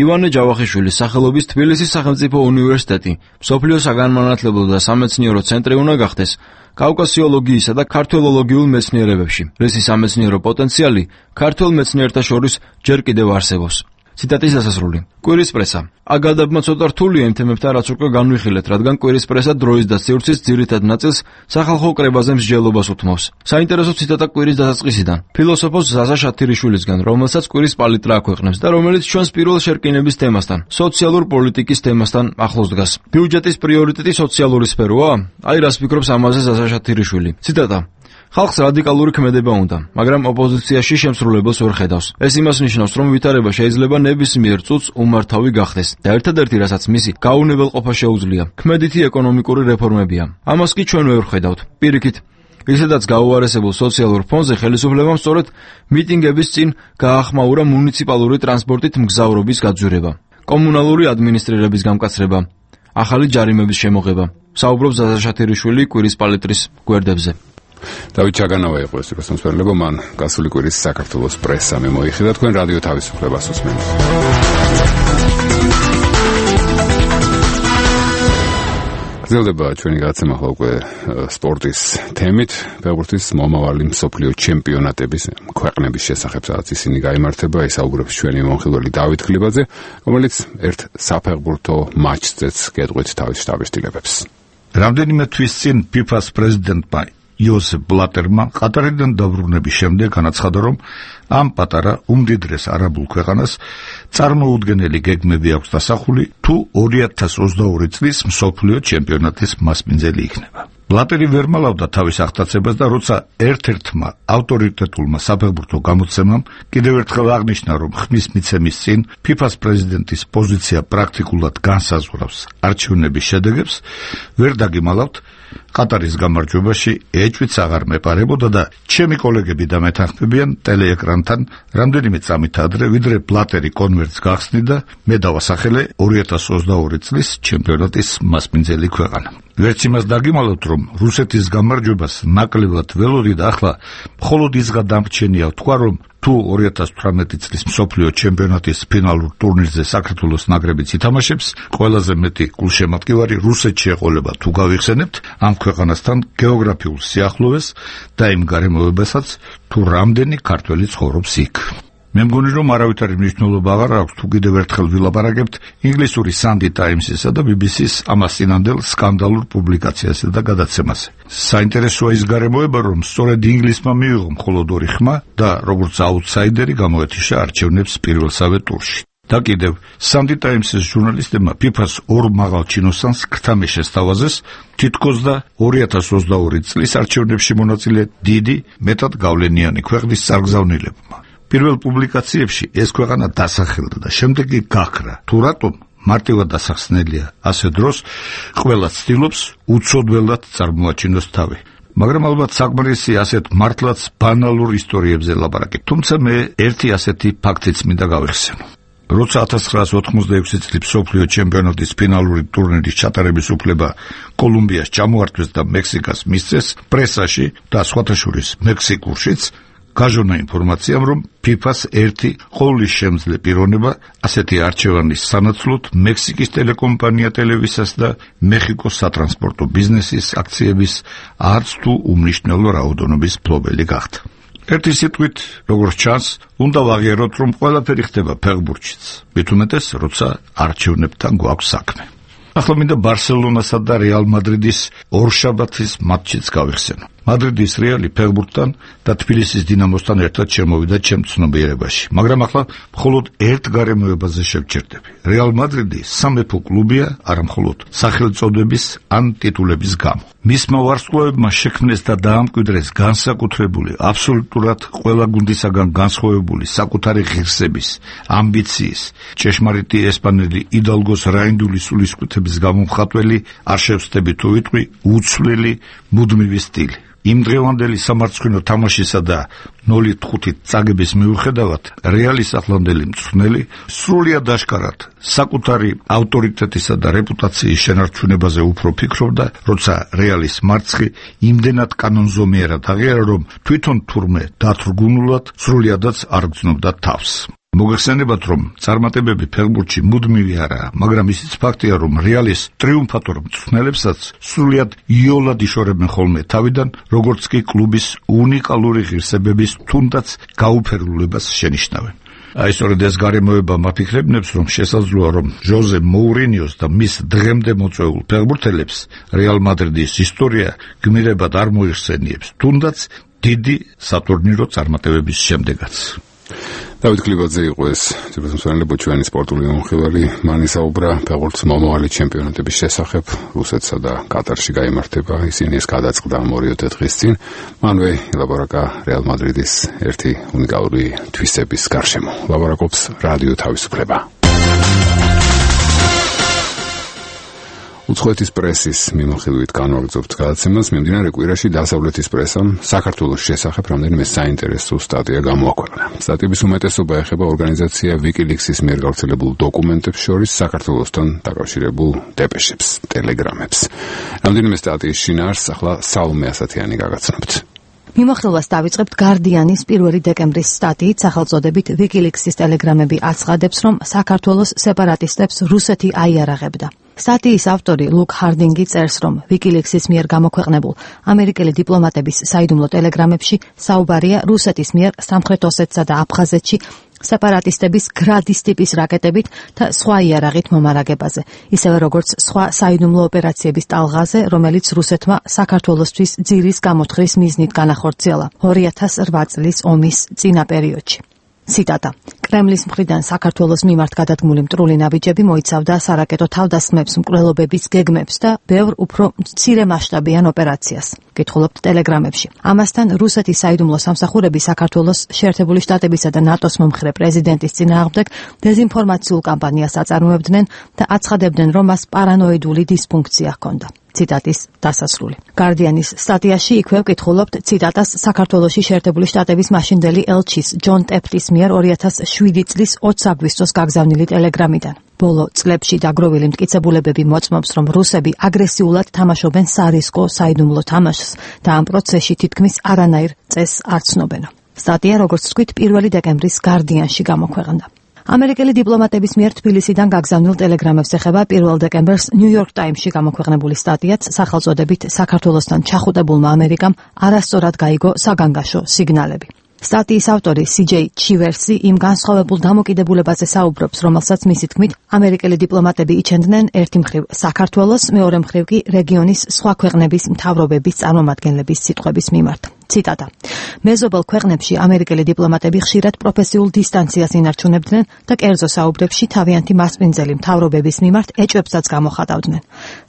ივანე ჯავახიშვილის სახელობის თბილისის სახელმწიფო უნივერსიტეტი მსოფლიოს საგანმანათლებლო და სამეცნიერო ცენტრი უნდა გახდეს კავკასიოლოგიისა და ქართველოლოგიურ მეცნიერებებში, რისი სამეცნიერო პოტენციალი ქართველ მეცნიერთა შორის ჯერ კიდევ არსებობს. ციტატის დასასრული. კვირის პრესა. აქ გადაბმა ცოტა რთულია იმ თემებთან, რაც უკვე განვიხილეთ, რადგან კვირის პრესა დროის და სივრცის ძირითად ნაწილს სახალხო კრებაზე მსჯელობას უთმობს. საინტერესო ციტატა კვირის დასაწყისიდან. ფილოსოფოს ზაზა შათირიშვილისგან, რომელსაც კვირის პალიტრა აქვეყნებს და რომელიც ჩვენს პირველ შერკინების თემასთან, სოციალურ პოლიტიკის თემასთან ახლოს დგას. ბიუჯეტის პრიორიტეტი სოციალური სფეროა? აი რას ფიქრობს ამაზე ზაზა შათირიშვილი. ციტატა: ხალხს რადიკალური ქმედება უნდა, მაგრამ ოპოზიციაში შემსრულებელს ვერ ხედავს. ეს იმას ნიშნავს, რომ ვითარება შეიძლება ნებისმიერ წუთს უმართავი გახდეს და ერთადერთი, რასაც მისი გაუნებელყოფა შეუძლია, ქმედითი ეკონომიკური რეფორმებია. ამას კი ჩვენ ვერ ხედავთ. პირიქით, ისედაც გაუარესებულ სოციალურ ფონზე ხელისუფლებამ სწორედ მიტინგების წინ გაახმაურა მუნიციპალური ტრანსპორტით მგზავრობის გაძვირება, კომუნალური ადმინისტრირების გამკაცრება, ახალი ჯარიმების შემოღება. საუბრობს ზაზა შათირიშვილი კვირის პალიტრის გვერდებზე. დავით ჩაგანავა იყო ეს რესპონსაბილობა, მან გასული კვირის საქართველოს პრესა მოიხიდა, თქვენ რადიო თავისუფლებას უსმენთ. გრძელდება ჩვენი გადაცემა უკვე სპორტის თემით, ფეხბურთის მომავალი მსოფლიო ჩემპიონატების ქვეყნების შესახებ, სადაც ისინი გაიმართება, ისაუბრებს ჩვენი მომხილველი დავით გლიბაძე, რომელიც ერთ საფეხბურთო მატჩზეც გეტყვით თავის შტაბის-შტილებებს. რამდენიმე თვის წინ ფიფას პრეზიდენტმა იოსებ ბლატერმა ყატარიდან დაბრუნების შემდეგ განაცხადა, რომ ამ პატარა უმდიდრეს არაბულ ქვეყანას წარმოუდგენელი გეგმები აქვს დასახული, თუ ორი ათას ოცდაორი წლის მსოფლიო ჩემპიონატის მასპინძელი იქნება. ბლატერი ვერ მალავდა თავის აღტაცებას და როცა ერთ-ერთმა ავტორიტეტულმა საფეხბურთო გამოცემამ კიდევ ერთხელ აღნიშნა, რომ ხმის მიცემის წინ ფიფას პრეზიდენტის პოზიცია პრაქტიკულად განსაზღვრავს არჩევნების შედეგებს, ვერ დაგიმალავთ, ყატარის გამარჯვებაში ეჭვიც აღარ მეპარებოდა და ჩემი კოლეგები და მეთანხმებიან ტელეეკრანთან რამდენიმე წამით ადრე, ვიდრე ბლატერი კონვერტს გახსნიდა, მე დავასახელე ორი ათას ოცდაორი წლის ჩემპიონატის მასპინძელი ქვეყანა. ვერც იმას დაგიმალავთ, რომ რუსეთის გამარჯვებას ნაკლებად ველოდი და ახლა მხოლოდ ის გადამრჩენია ვთქვა, რომ თუ ორი ათას თვრამეტი წლის მსოფლიო ჩემპიონატის ფინალურ ტურნირზე საქართველოს ნაკრებიც ითამაშებს, ყველაზე მეტი გულშემატკივარი რუსეთში ეყოლება თუ გავიხსენებთ ამ ქვეყანასთან გეოგრაფიულ სიახლოვეს და იმ გარემოებასაც, თუ რამდენი ქართველი ცხოვრობს იქ. მე მგონი რომ არავითარი მნიშვნელობა აღარ აქვს თუ კიდევ ერთხელ ვილაპარაკებთ ინგლისური Sunday Times-ისა და B B C-ს ამას წინანდელ სკანდალურ პუბლიკაციასა და გადაცემაზე. საინტერესოა ის გარემოება, რომ სწორედ ინგლისმა მიიღო მხოლოდ ორი ხმა და როგორც აუთსაიდერი გამოეთიშა არჩევნებს პირველსავე ტურში. და კიდევ Sunday Times-ის ჟურნალისტებმა ფიფას ორ მაღალ ჩინოსანს ქრთამი შესთავაზეს თითქოს და ორი ათას ოცდაორი წლის არჩევნებში მონაწილე დიდი, მეტად გავლენიანი ქვეყნის წარგზავნილებმა. პირველ პუბლიკაციებში ეს ქვეყანა დასახელდა და შემდეგ კი გაქრა. თუ რატომ მარტივად დასახსნელია ასე დროს ყველა ცდილობს უცოდველად წარმოაჩინოს თავი. მაგრამ ალბათ საკმარისი ასეთ მართლაც ბანალურ ისტორიებზე ლაპარაკი. თუმცა მე ერთი ასეთი ფაქტიც მინდა გავიხსენო. როცა ათას ცხრაას ოთხმოცდაექვსი წლის მსოფლიო ჩემპიონატის ფინალური ტურნირის ჩატარების უფლება კოლუმბიას ჩამოართვეს და მექსიკას მისცეს, პრესაში და სხვათა შორის მექსიკურშიც გაჟონა ინფორმაციამ, რომ ფიფას ერთი ყოვლისშემძლე პიროვნება ასეთი არჩევანის სანაცვლოდ მექსიკის ტელეკომპანია ტელევისას და მეხიკოს სატრანსპორტო ბიზნესის აქციების არც თუ უმნიშვნელო რაოდენობის მფლობელი გახდა. ერთი სიტყვით, როგორც ჩანს, უნდა ვაღიაროთ, რომ ყველაფერი ხდება ფეხბურთშიც, მით უმეტეს, როცა არჩევნებთან გვაქვს საქმე. ახლა მინდა ბარსელონასა და რეალ მადრიდის ორშაბათის მატჩიც გავიხსენო. მადრიდის რეალი ფეხბურთთან და თბილისის დინამოსთან ერთად შემოვიდა ჩემ ცნობიერებაში, მაგრამ ახლა მხოლოდ ერთ გარემოებაზე შევჩერდები. რეალ მადრიდი სამეფო კლუბია, არა მხოლოდ სახელწოდების ან ტიტულების გამო. მისმა ვარსკვლავებმა შექმნეს და დაამკვიდრეს განსაკუთრებული, აბსოლუტურად ყველა გუნდისაგან განსხვავებული საკუთარი ღირსების, ამბიციის, ჭეშმარიტი ესპანელი იდალგოს რაინდული სულისკვეთების გამომხატველი, არ შევსდები თუ ვიტყვი, უცვლელი მუდმივი სტილი. იმ დღევანდელი სამარცხვინო თამაშისა და ნული ხუთი წაგების მიუხედავად, რეალის ახლანდელი მწვრთნელი სრულიად აშკარად საკუთარი ავტორიტეტისა და რეპუტაციის შენარჩუნებაზე უფრო ფიქრობდა, როცა რეალის მარცხი იმდენად კანონზომიერად აღიარა, რომ თვითონ თურმე დათრგუნულად სრულიადაც არ გრძნობდა თავს. მოგეხსენებათ, რომ წარმატებები ფეხბურთში მუდმივი არაა, მაგრამ ისიც ფაქტია, რომ რეალის ტრიუმფატორ მწვრთნელებსაც სრულიად იოლად იშორებენ ხოლმე თავიდან, როგორც კი კლუბის უნიკალური ღირსებების თუნდაც გაუფერულებას შენიშნავენ. აი სწორედ ეს გარემოება მაფიქრებნებს, რომ შესაძლოა, რომ ჟოზე მოურინიოს და მის დღემდე მოწვეულ ფეხბურთელებს რეალ მადრიდის ისტორია გმირებად არ მოიხსენიებს, თუნდაც დიდი სატურნირო წარმატებების შემდეგაც. დავით კლებაძე იყო ეს ძირფესმცვენელი ჩვენი სპორტული მომხილველი. მან ისაუბრა ფეხბურთის მომავალი ჩემპიონატების შესახებ. რუსეთსა და კატარში გაიმართება, ისინი ეს გადაწყდა ორი-ოთხ დღის წინ. მანვე ელაბორაკა რეალ მადრიდის ერთი უნიკალური თვისების გარშემო. ლაბორაკობს რადიო თავისუფლება. უცხოეთის პრესის მიმოხილვით განვაგრძობთ გადაცემას. მიმდინარე კვირაში დასავლეთის პრესამ საქართველოს შესახებ რამდენიმე საინტერესო სტატია გამოაქვეყნა. სტატიების უმეტესობა ეხება ორგანიზაცია WikiLeaks-ის მიერ გავრცელებულ დოკუმენტებს შორის საქართველოსთან დაკავშირებულ დეპეშებს, ტელეგრამებს. რამდენიმე სტატიის შინაარსს ახლა საულმე ასათიანი გაგაცნობთ. მიმოხილვას დავიწყებთ Guardian-ის პირველი დეკემბრის სტატიით სახელწოდებით WikiLeaks-ის ტელეგრამები აცხადებს, რომ საქართველოს სეპარატისტებს რუსეთი აიარაღებდა. სტატიის ავტორი ლუკ ჰარდინგი წერს, რომ WikiLeaks-ის მიერ გამოქვეყნებულ ამერიკელი დიპლომატების საიდუმლო ტელეგრამებში საუბარია რუსეთის მიერ სამხრეთ ოსეთსა და აფხაზეთში სეპარატისტების გრადის ტიპის რაკეტებით და სხვა იარაღით მომარაგებაზე, ისევე როგორც სხვა საიდუმლო ოპერაციების ტალღაზე, რომელიც რუსეთმა საქართველოსთვის ძირის გამოთხრის მიზნით განახორციელა ორი ათას რვა წლის ომის წინა პერიოდში. ციტატა. კრემლის მხრიდან საქართველოს მიმართ გადადგმული მტრული ნაბიჯები მოიცავდა სარაკეტო თავდასხმებს, მკვლელობების გეგმებს და ბევრ უფრო მცირე მასშტაბიან ოპერაციას. კითხულობთ ტელეგრამებში. ამასთან რუსეთის საიდუმლო სამსახურები საქართველოს შეერთებული შტატებისა და ნატოს მომხრე პრეზიდენტის წინააღმდეგ დეზინფორმაციულ კამპანიას აწარმოებდნენ და აცხადებდნენ, რომ მას პარანოიდული დისფუნქცია ჰქონდა. ციტატის დასასრული. Guardian-ის სტატიაში იქვე ვკითხულობთ ციტატას საქართველოში შეერთებული შტატების მაშინდელი ელჩის ჯონ ტეფტის მიერ ორი ათას შვიდი წლის ოც აგვისტოს გაგზავნილი ტელეგრამიდან. ბოლო წლებში დაგროვილი მტკიცებულებები მოწმობს, რომ რუსები აგრესიულად თამაშობენ სარისკო საიდუმლო თამაშს და ამ პროცესში თითქმის არანაირ წესს არ ცნობენო. სტატია, როგორც ვთქვით, პირველი დეკემბრის Guardian-ში გამოქვეყნდა. ამერიკელი დიპლომატების მიერ თბილისიდან გაგზავნილ ტელეგრამებს ეხება პირველ დეკემბერს New York Times-ში გამოქვეყნებული სტატიაც სახელწოდებით საქართველოსთან ჩახუტებულმა ამერიკამ არასწორად გაიგო საგანგაშო სიგნალები. სტატიის ავტორი სი ჯეი ჩივერსი იმ განსხვავებულ დამოკიდებულებაზე საუბრობს, რომელსაც მისი თქმით ამერიკელი დიპლომატები იჩენდნენ ერთი მხრივ საქართველოს, მეორე მხრივ კი რეგიონის სხვა ქვეყნების მთავრობების წარმომადგენლების სიტყვების მიმართ. ციტატა: მეზობელ ქვეყნებში ამერიკელი დიპლომატები ხშირად პროფესიულ დისტანციას ინარჩუნებდნენ და კერძო საუბრებში თავიანთი მასპინძელი მთავრობების მიმართ ეჭვებსაც გამოხატავდნენ.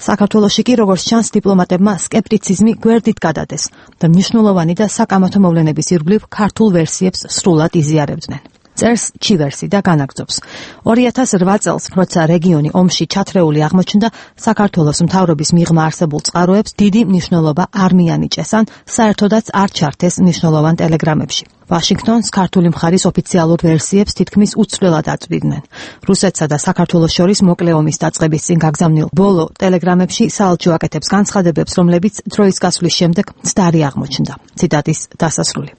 საქართველოში კი, როგორც ჩანს, დიპლომატებმა სკეპტიციზმი გვერდით გადადეს და მნიშვნელოვანი და საკამათო მოვლენების ირგვლივ ქართულ ვერსიებს სრულად იზიარებდნენ. წერს ჩივერსი და განაგრძობს: ორი ათას რვა წელს, როცა რეგიონი ომში ჩათრეული აღმოჩნდა, საქართველოს მთავრობის მიღმა არსებულ წყაროებს დიდი მნიშვნელობა არ მიანიჭეს ან საერთოდაც არ ჩართეს მნიშვნელოვან ტელეგრამებში. ვაშინგტონს ქართული მხარის ოფიციალურ ვერსიებს თითქმის უცვლელად აწვდიდნენ. რუსეთსა და საქართველოს შორის მოკლე ომის დაწყების წინ გაგზავნილ ბოლო ტელეგრამებში საელჩო აკეთებს განცხადებებს, რომლებიც დროის გასვლის შემდეგ მცდარი აღმოჩნდა. ციტატის დასასრული.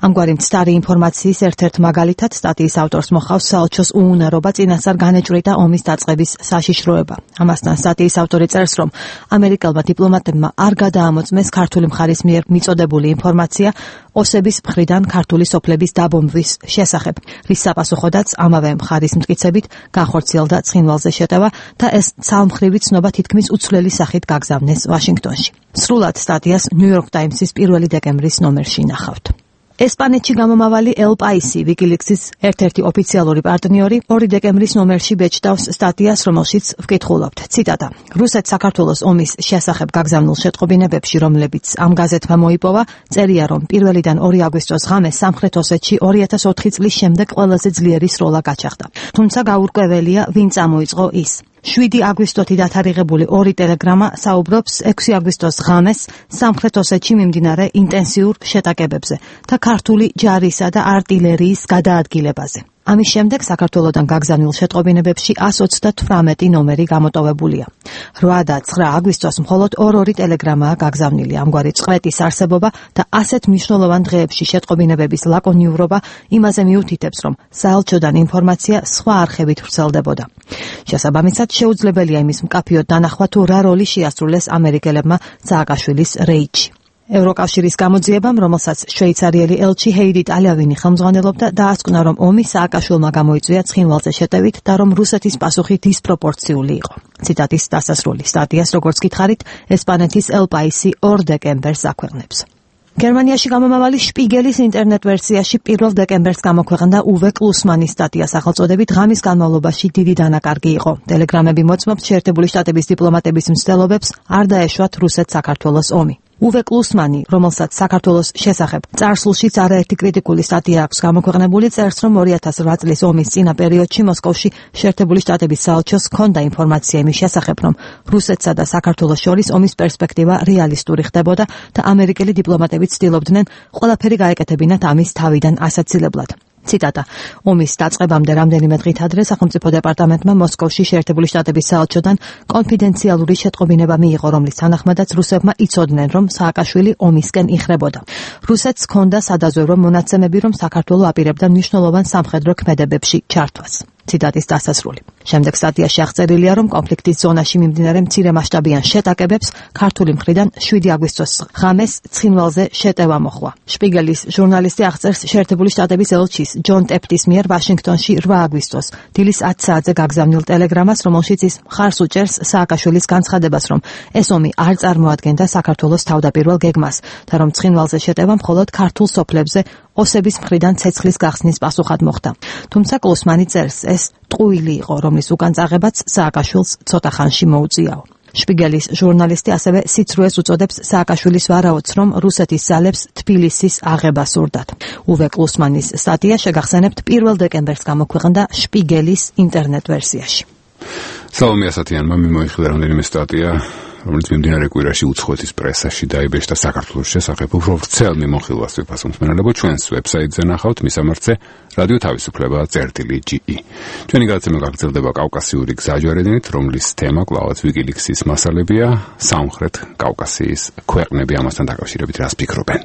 ამგვარი მცდარი ინფორმაციის ერთ-ერთ მაგალითად სტატიის ავტორს მოხავს საელჩოს უუნარობა წინასწარ განეჭვრიტა ომის დაწყების საშიშროება. ამასთან სტატიის ავტორი წერს, რომ ამერიკელმა დიპლომატებმა არ გადაამოწმეს ქართული მხარის მიერ მიწოდებული ინფორმაცია ოსების მხრიდან ქართული სოფლების დაბომბვის შესახებ, რის საპასუხოდაც ამავე მხარის მტკიცებით განხორციელდა ცხინვალზე შეტევა და ეს ცალმხრივი ცნობა თითქმის უცვლელი სახით გაგზავნეს ვაშინგტონში. სრულად სტატიას ნიუ-იორკ ტაიმსის პირველი დეკემბრის ნომერში ნახავთ. ესპანეთში გამომავალი ელ პაისი, ვიკილიქსის ერთ-ერთი ოფიციალური პარტნიორი, ორი დეკემბრის ნომერში ბეჭდავს სტატიას, რომელშიც ვკითხულობთ. ციტატა: რუსეთ-საქართველოს ომის შესახებ გაგზავნილ შეტყობინებებში, რომლებიც ამ გაზეთმა მოიპოვა, წერია, რომ პირველიდან ორი აგვისტოს ღამეს სამხრეთ ოსეთში ორი ათას ოთხი წლის შემდეგ ყველაზე ძლიერი სროლა გაჩაღდა. თუმცა გაურკვეველია, ვინ წამოიწყო ის. შვიდი აგვისტოთი დათარიღებული ორი ტელეგრამა საუბრობს ექვსი აგვისტოს ღამეს სამხრეთ ოსეთში მიმდინარე ინტენსიურ შეტაკებებზე და ქართული ჯარისა და არტილერიის გადაადგილებაზე. ამის შემდეგ საქართველოსთან გაგზავნილ შეტყობინებებში εκατს ოცდათვრამეტი ნომერი გამოტოვებულია. რვა და ცხრა აგვისტოს მხოლოდ ორ-ორი ტელეგრამაა გაგზავნილი. ამგვარი წყვეტის არსებობა და ასეთ მნიშვნელოვან დღეებში შეტყობინებების ლაკონიურობა იმაზე მიუთითებს, რომ საელჩოდან ინფორმაცია სხვა არხებით ვრცელდებოდა. შესაბამისად, შეუძლებელია იმის მკაფიოდ დანახვა, თუ რა როლი შეასრულეს ამერიკელებმა სააკაშვილის რეიდში. ევროკავშირის გამოძიებამ, რომელსაც შვეიცარიელი ელჩი ჰეიდით ალავინი ხელმძღვანელობდა, დაასკვნა, რომ ომი სააკაშვილმა გამოიწვია ცხინვალზე შეტევით და რომ რუსეთის პასუხი დისპროპორციული იყო. ციტატის დასასრული. სტატიას, როგორც გითხარით, ესპანეთის ელ პაისი ორ დეკემბერს აქვეყნებს. გერმანიაში გამომავალი შპიგელის ინტერნეტ ვერსიაში პირველ დეკემბერს გამოქვეყნდა უვე კლუსმანის სტატია სახელწოდებით „ღამის განმავლობაში დიდი დანაკარგი იყო. ტელეგრამები მოწმობთ შეერთებული შტატების დიპლომატების მცდელობებს არ დაეშვათ რუსეთ-საქართველოს ომი. უვე კლუსმანი, რომელსაც საქართველოს შესახებ წარსულშიც არაერთი კრიტიკული სტატია აქვს გამოქვეყნებული, წერს, რომ ორი ათას რვა წლის ომის წინა პერიოდში მოსკოვში შეერთებული შტატების საელჩოს ჰქონდა ინფორმაცია იმის შესახებ, რომ რუსეთსა და საქართველოს შორის ომის პერსპექტივა რეალისტური ხდებოდა და ამერიკელი დიპლომატები ცდილობდნენ ყველაფერი გაეკეთებინათ ამის თავიდან ასაცილებლად. ციტატა: ომის დაწყებამდე რამდენიმე დღით ადრე სახელმწიფო დეპარტამენტმა მოსკოვში შეერთებული შტატების საელჩოდან კონფიდენციალური შეტყობინება მიიღო, რომლის თანახმადაც რუსებმა იცოდნენ, რომ სააკაშვილი ომისკენ იხრებოდა. რუსეთს ჰქონდა სადაზვერვო მონაცემები, რომ საქართველო აპირებდა მნიშვნელოვან სამხედრო ქმედებებში ჩართვას. ციტატის დასასრული. შემდეგ სტატიაში აღწერილია, რომ კონფლიქტის ზონაში მიმდინარე მცირე მასშტაბიან შეტაკებებს ქართული მხრიდან შვიდი აგვისტოს ღამეს ცხინვალზე შეტევა მოხდა. შპიგელის ჟურნალისტი აღწერს შეერთებული შტატების ელჩის ჯონ ტეფტის მიერ ვაშინგტონში რვა აგვისტოს დილის ათი საათზე გაგზავნილ ტელეგრამას, რომელშიც ის მხარს უჭერს სააკაშვილის განცხადებას, რომ ეს ომი არ წარმოადგენდა საქართველოს თავდაპირველ გეგმას და რომ ცხინვალზე შეტევა მხოლოდ ქართულ სოფლებზე ოსების მხრიდან ცეცხლის გახსნის პასუხად მოხდა. თუმცა კლუსმანი წერს, ეს ტყუილი იყო, რომლის უკან წაღებაც სააკაშვილს ცოტა ხანში მოუწიაო. შპიგელის ჟურნალისტი ასევე სიცრუეს უწოდებს სააკაშვილის ვარაუდს, რომ რუსეთის ძალებს თბილისის აღება სურდათ. უვე კლუსმანის სტატია შეგახსენებთ პირველ დეკემბერს გამოქვეყნდა შპიგელის ინტერნეტ ვერსიაში. სალომე ასათიანმა მიმოიხილა რამდენიმე სტატია, რომელიც მიმდინარე კვირაში უცხოეთის პრესაში დაიბეჭდა საქართველოს შესახებ. უფრო ვრცელ მიმოხილვას ვიფასო მსმენელებო, ჩვენს ვებსაიტზე ნახავთ მისამართზე რადიო თავისუფლება წერტილი ჯი ი. ჩვენი გადაცემა გაგრძელდება კავკასიური გზაჯვარედინით, რომლის თემა კვლავაც ვიკილიქსის მასალებია, სამხრეთ კავკასიის ქვეყნები, ამასთან დაკავშირებით რას ფიქრობენ.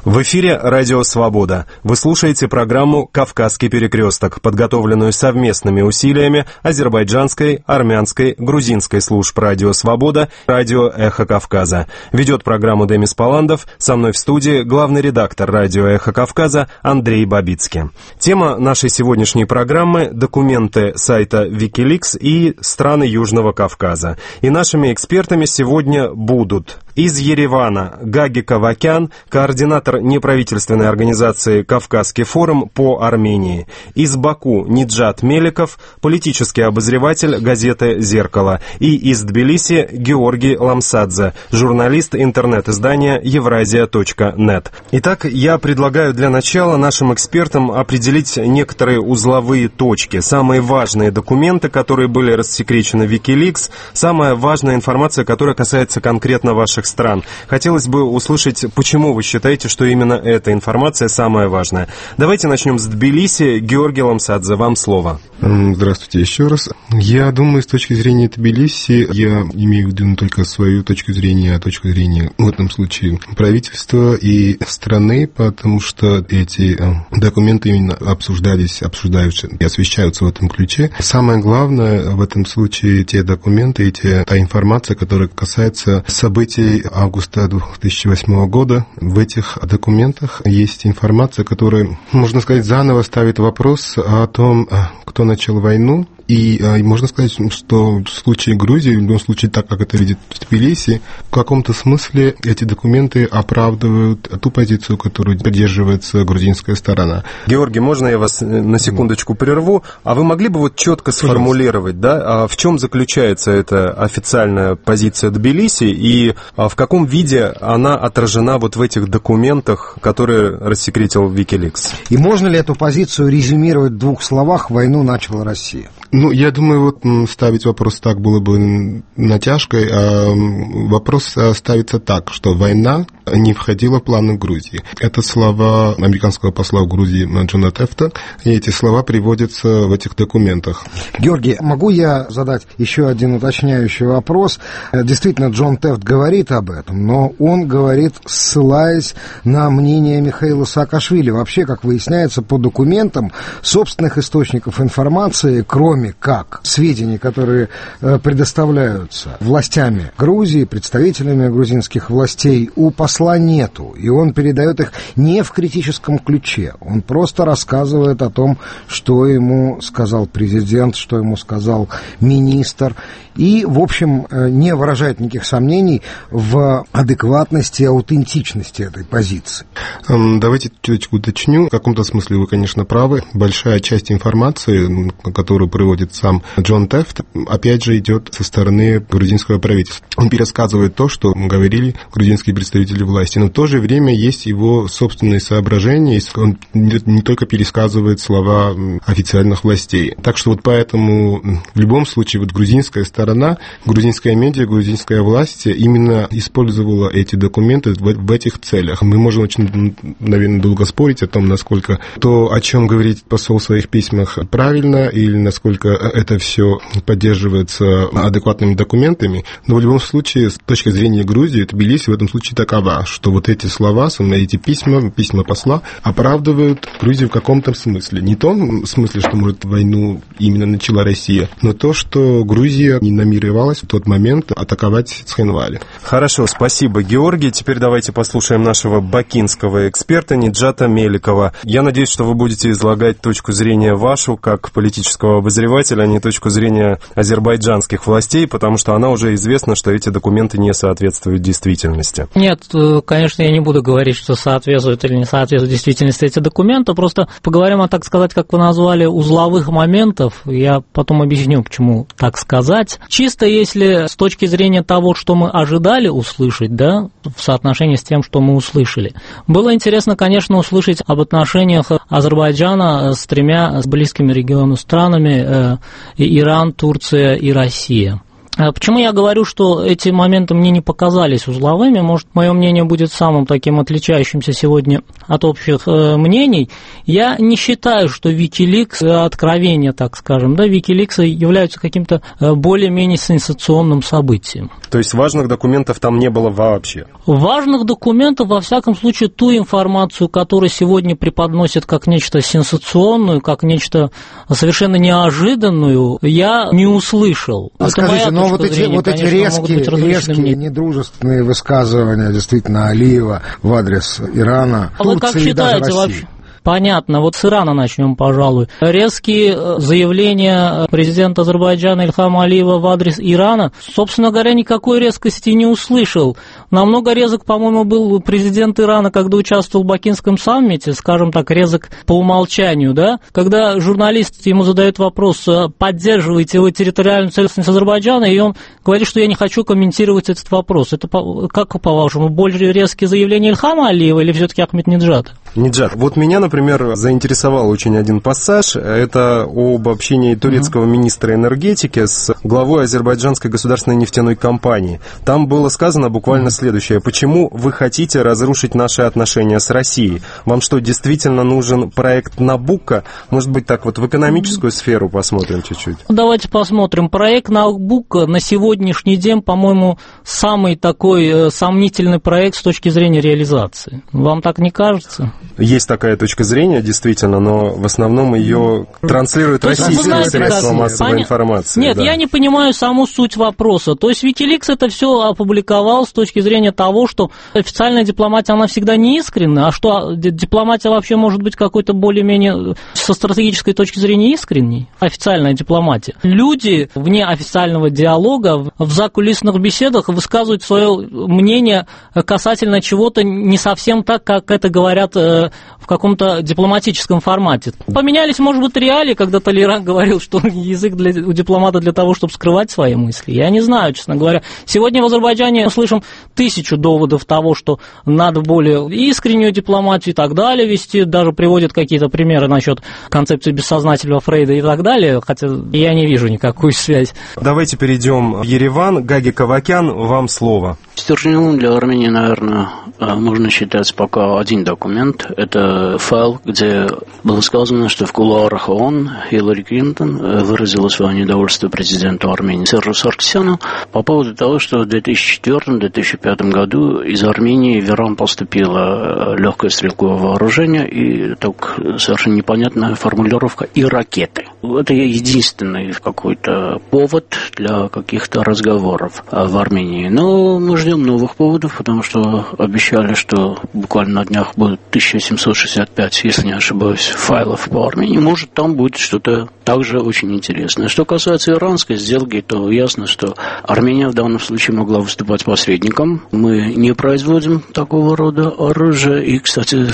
В эфире «Радио Свобода». Вы слушаете программу «Кавказский перекресток», подготовленную совместными усилиями азербайджанской, армянской, грузинской служб «Радио Свобода», «Радио Эхо Кавказа». Ведет программу Демис Паландов, со мной в студии главный редактор «Радио Эхо Кавказа» Андрей Бабицкий. Тема нашей сегодняшней программы – документы сайта Wikileaks и страны Южного Кавказа. И нашими экспертами сегодня будут из Еревана Гаги Кавакян, координатор неправительственной организации «Кавказский форум» по Армении. Из Баку Ниджат Меликов, политический обозреватель газеты «Зеркало». И из Тбилиси Георгий Ламсадзе, журналист интернет-издания евразия точка нет. Итак, я предлагаю для начала нашим экспертам определить некоторые узловые точки, самые важные документы, которые были рассекречены в Wikileaks, самая важная информация, которая касается конкретно ваших стран. Хотелось бы услышать, почему вы считаете, что именно эта информация самая важная. Давайте начнем с Тбилиси. Георгий Ламсадзе, вам слово. Здравствуйте еще раз. Я думаю, с точки зрения Тбилиси, я имею в виду не только свою точку зрения, а точку зрения, в этом случае, правительства и страны, потому что эти документы именно обсуждались, обсуждаются и освещаются в этом ключе. Самое главное в этом случае те документы, эти, та информация, которая касается событий августа две тысячи восьмого года. В этих документах есть информация, которая, можно сказать, заново ставит вопрос о том, кто начал войну. И а, можно сказать, что в случае Грузии, в любом случае, так как это видит Тбилиси, в каком-то смысле эти документы оправдывают ту позицию, которую поддерживается грузинская сторона. Георгий, можно я вас на секундочку прерву? А вы могли бы вот четко сформулировать, да, в чем заключается эта официальная позиция Тбилиси и в каком виде она отражена вот в этих документах, которые рассекретил Wikileaks? И можно ли эту позицию резюмировать в двух словах: войну начала Россия? Ну, я думаю, вот ставить вопрос так было бы натяжкой, а вопрос ставится так, что война не входила в планы Грузии. Это слова американского посла в Грузии Джона Тефта, и эти слова приводятся в этих документах. Георгий, могу я задать еще один уточняющий вопрос? Действительно, Джон Тефт говорит об этом, но он говорит, ссылаясь на мнение Михаила Саакашвили. Вообще, как выясняется по документам, собственных источников информации, кроме как сведений, которые предоставляются властями Грузии, представителями грузинских властей, у посла нету. И он передает их не в критическом ключе. Он просто рассказывает о том, что ему сказал президент, что ему сказал министр. И, в общем, не выражает никаких сомнений в адекватности и аутентичности этой позиции. Давайте чуточку уточню. В каком-то смысле вы, конечно, правы. Большая часть информации, которую приводит сам Джон Тефт, опять же, идет со стороны грузинского правительства. Он пересказывает то, что говорили грузинские представители власти, но в то же время есть его собственные соображения, он не только пересказывает слова официальных властей. Так что вот поэтому в любом случае вот грузинская сторона, грузинская медиа, грузинская власть именно использовала эти документы в, в этих целях. Мы можем очень, наверное, долго спорить о том, насколько то, о чем говорит посол в своих письмах, правильно, или насколько это все поддерживается адекватными документами, но в любом случае, с точки зрения Грузии, Тбилиси в этом случае такова, что вот эти слова, эти письма, письма посла оправдывают Грузию в каком-то смысле. Не в том смысле, что, может, войну именно начала Россия, но то, что Грузия не намеревалась в тот момент атаковать Цхинвали. Хорошо, спасибо, Георгий. Теперь давайте послушаем нашего бакинского эксперта Ниджата Меликова. Я надеюсь, что вы будете излагать точку зрения вашу, как политического обозревателя, а не точку зрения азербайджанских властей, потому что она уже известна, что эти документы не соответствуют действительности. Нет, конечно, я не буду говорить, что соответствует или не соответствует действительности эти документы, просто поговорим о, так сказать, как вы назвали, узловых моментов. Я потом объясню, почему так сказать. Чисто если с точки зрения того, что мы ожидали услышать, да, в соотношении с тем, что мы услышали. Было интересно, конечно, услышать об отношениях Азербайджана с тремя близкими региону странами, э, Иран, Турция и Россия. Почему я говорю, что эти моменты мне не показались узловыми? Может, мое мнение будет самым таким отличающимся сегодня от общих э, мнений. Я не считаю, что Wikileaks, откровения, так скажем, да, Wikileaks являются каким-то э, более-менее сенсационным событием. То есть важных документов там не было вообще? Важных документов, во всяком случае, ту информацию, которую сегодня преподносят как нечто сенсационную, как нечто совершенно неожиданную, я не услышал. А скажите, но вот эти, зрения, вот эти конечно, резкие, резкие недружественные высказывания действительно Алиева в адрес Ирана, а вы как считаете вообще? Понятно. Вот с Ирана начнем, пожалуй. Резкие заявления президента Азербайджана Ильхама Алиева в адрес Ирана, собственно говоря, никакой резкости не услышал. Намного резок, по-моему, был президент Ирана, когда участвовал в Бакинском саммите, скажем так, резок по умолчанию, да? Когда журналист ему задает вопрос, поддерживаете вы территориальную целостность Азербайджана, и он говорит, что я не хочу комментировать этот вопрос. Это, как по-вашему, более резкие заявления Ильхама Алиева или все-таки Ахмединеджада? Ниджат, вот меня, например, заинтересовал очень один пассаж. Это об общении турецкого министра энергетики с главой азербайджанской государственной нефтяной компании. Там было сказано буквально следующее. Почему вы хотите разрушить наши отношения с Россией? Вам что, действительно нужен проект Набуко? Может быть, так вот в экономическую сферу посмотрим чуть-чуть? Давайте посмотрим. Проект Набуко на сегодняшний день, по-моему, самый такой сомнительный проект с точки зрения реализации. Вам так не кажется? Есть такая точка зрения, действительно, но в основном ее транслируют российские средства массовой информации. Нет, да. Я не понимаю саму суть вопроса. То есть Wikileaks это все опубликовал с точки зрения того, что официальная дипломатия, она всегда не искренна, а что дипломатия вообще может быть какой-то более-менее со стратегической точки зрения искренней, официальная дипломатия. Люди вне официального диалога в закулисных беседах высказывают свое мнение касательно чего-то не совсем так, как это говорят в каком-то дипломатическом формате. Поменялись, может быть, реалии, когда Толеран говорил, что язык для, у дипломата для того, чтобы скрывать свои мысли. Я не знаю, честно говоря. Сегодня в Азербайджане мы слышим тысячу доводов того, что надо более искреннюю дипломатию и так далее вести. Даже приводят какие-то примеры насчет концепции бессознательного Фрейда и так далее, хотя я не вижу никакую связь. Давайте перейдем в Ереван. Гаги Кавакян, вам слово. Стержневым для Армении, наверное, можно считать пока один документ. Это файл, где было сказано, что в кулуарах ООН Хиллари Клинтон выразила свое недовольство президенту Армении Сержу Саркисяну по поводу того, что в две тысячи четвёртом — две тысячи пятом году из Армении в Иран поступило легкое стрелковое вооружение и так совершенно непонятная формулировка «и ракеты». Это единственный какой-то повод для каких-то разговоров в Армении. Но мы ждем новых поводов, потому что обещали, что буквально на днях будет тысяча семьсот шестьдесят пять, если не ошибаюсь, файлов по Армении. Может, там будет что-то также очень интересное. Что касается иранской сделки, то ясно, что Армения в данном случае могла выступать посредником. Мы не производим такого рода оружия, и, кстати,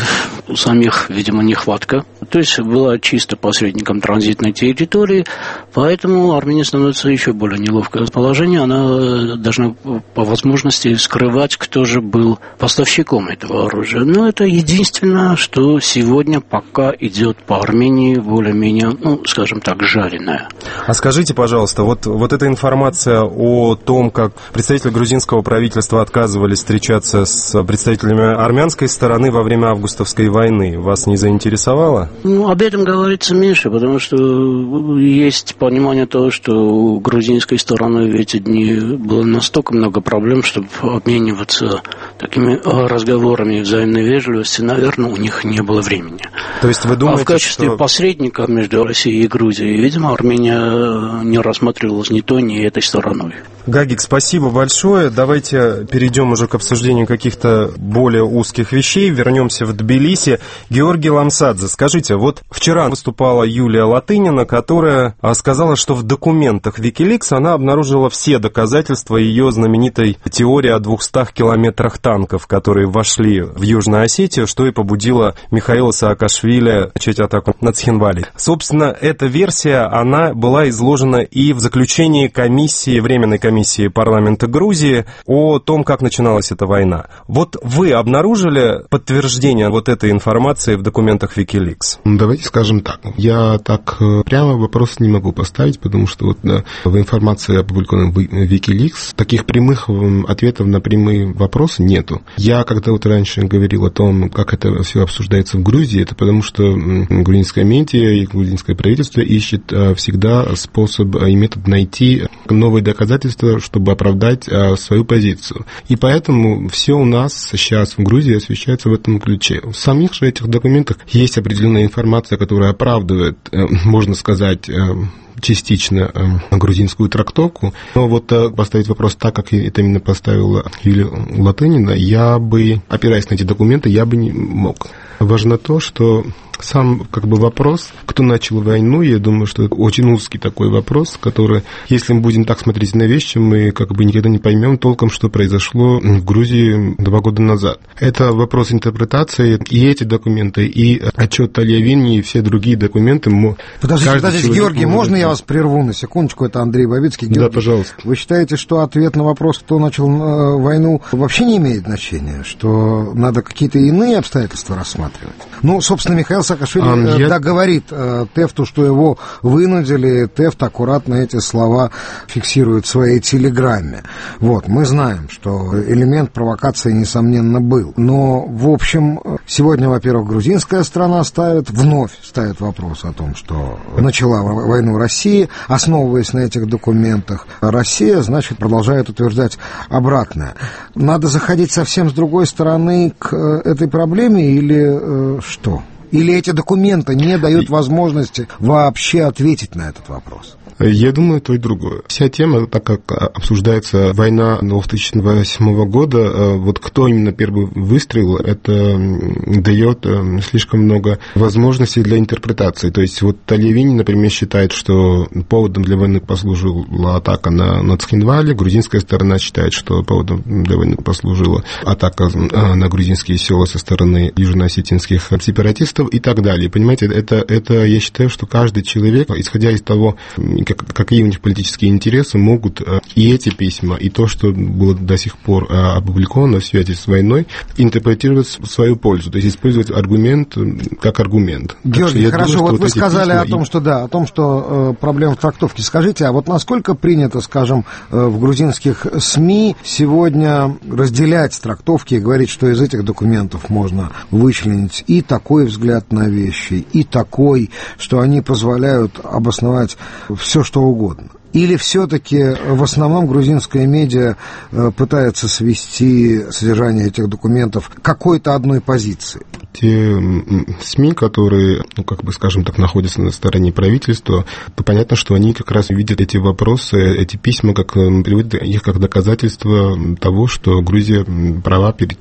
у самих, видимо, нехватка. То есть была чисто посредником транзитной территории, поэтому Армения становится еще более неловкое положение. Она должна по возможности скрывать, кто же был поставщиком этого оружия. Но это единственное, что сегодня пока идет по Армении более-менее, ну, скажем так, жареная. А скажите, пожалуйста, вот, вот эта информация о том, как представители грузинского правительства отказывались встречаться с представителями армянской стороны во время августовской войны, вас не заинтересовала? Ну, об этом говорится меньше, потому что есть понимание того, что у грузинской стороны в эти дни было настолько много проблем, чтобы обмениваться такими разговорами взаимной вежливости, наверное, у них не было времени. То есть вы думаете, а в качестве что... посредника между Россией и Грузией, видимо, Армения не рассматривалась ни той, ни этой стороной. Гагик, спасибо большое. Давайте перейдем уже к обсуждению каких-то более узких вещей. Вернемся в Тбилиси. Георгий Ламсадзе, скажите, вот вчера выступала Юлия Латынина, которая сказала, что в документах Wikileaks она обнаружила все доказательства ее знаменитой теории о двухстах километрах танков, которые вошли в Южную Осетию, что и побудило Михаила Саакашвили начать атаку на Цхинвали. Собственно, эта версия, она была изложена и в заключении комиссии, Временной комиссии парламента Грузии о том, как начиналась эта война. Вот вы обнаружили подтверждение вот этой информации в документах Wikileaks? Давайте скажем так. Я так прямо вопрос не могу поставить, потому что вот в информации, опубликованной в Wikileaks, таких прямых ответов на прямые вопросы нету. Я когда вот раньше говорил о том, как это все обсуждается в Грузии, это потому что грузинская медиа и грузинское правительство ищет всегда способ и метод найти новые доказательства, чтобы оправдать свою позицию. И поэтому все у нас сейчас в Грузии освещается в этом ключе. В самих же этих документах есть определенная информация, которая оправдывает, можно сказать, частично э, грузинскую трактовку. Но вот э, поставить вопрос так, как это именно поставила Юлия Латынина, я бы, опираясь на эти документы, я бы не мог. Важно то, что сам как бы вопрос, кто начал войну, я думаю, что это очень узкий такой вопрос, который, если мы будем так смотреть на вещи, мы как бы никогда не поймем толком, что произошло в Грузии два года назад. Это вопрос интерпретации, и эти документы, и отчет Тальявини, и все другие документы. Подождите, подождите, Георгий, можно я вас прерву на секундочку? Это Андрей Бабицкий. Георгий, да, пожалуйста. Вы считаете, что ответ на вопрос, кто начал э, войну, вообще не имеет значения? Что надо какие-то иные обстоятельства рассматривать? Ну, собственно, Михаил Саакашвили а, я... да, говорит э, Тефту, что его вынудили, Тефт аккуратно эти слова фиксирует в своей телеграмме. Вот, мы знаем, что элемент провокации, несомненно, был. Но, в общем, сегодня, во-первых, грузинская страна ставит, вновь ставит вопрос о том, что начала войну Россия, основываясь на этих документах. Россия, значит, продолжает утверждать обратное. Надо заходить совсем с другой стороны к этой проблеме или э, что? Или эти документы не дают возможности вообще ответить на этот вопрос? Я думаю, то и другое. Вся тема, так как обсуждается война две тысячи восьмого года, вот кто именно первый выстрелил, это дает слишком много возможностей для интерпретации. То есть вот Тальявини, например, считает, что поводом для войны послужила атака на, на Цхинвали, грузинская сторона считает, что поводом для войны послужила атака на грузинские села со стороны южноосетинских сепаратистов и так далее. Понимаете, это, это я считаю, что каждый человек, исходя из того, какие у них политические интересы, могут и эти письма, и то, что было до сих пор опубликовано в связи с войной, интерпретировать в свою пользу, то есть использовать аргумент как аргумент. Георгий, хорошо, думаю, вот вы вот сказали о том, и... что да, о том, что э, проблема в трактовке. Скажите, а вот насколько принято, скажем, э, в грузинских СМИ сегодня разделять трактовки и говорить, что из этих документов можно вычленить и такой взгляд на вещи, и такой, что они позволяют обосновать все, что угодно? Или все-таки в основном грузинская медиа пытается свести содержание этих документов к какой-то одной позиции? Те СМИ, которые, ну, как бы, скажем так, находятся на стороне правительства, то понятно, что они как раз видят эти вопросы, эти письма, как приводят их как доказательство того, что Грузия права перед,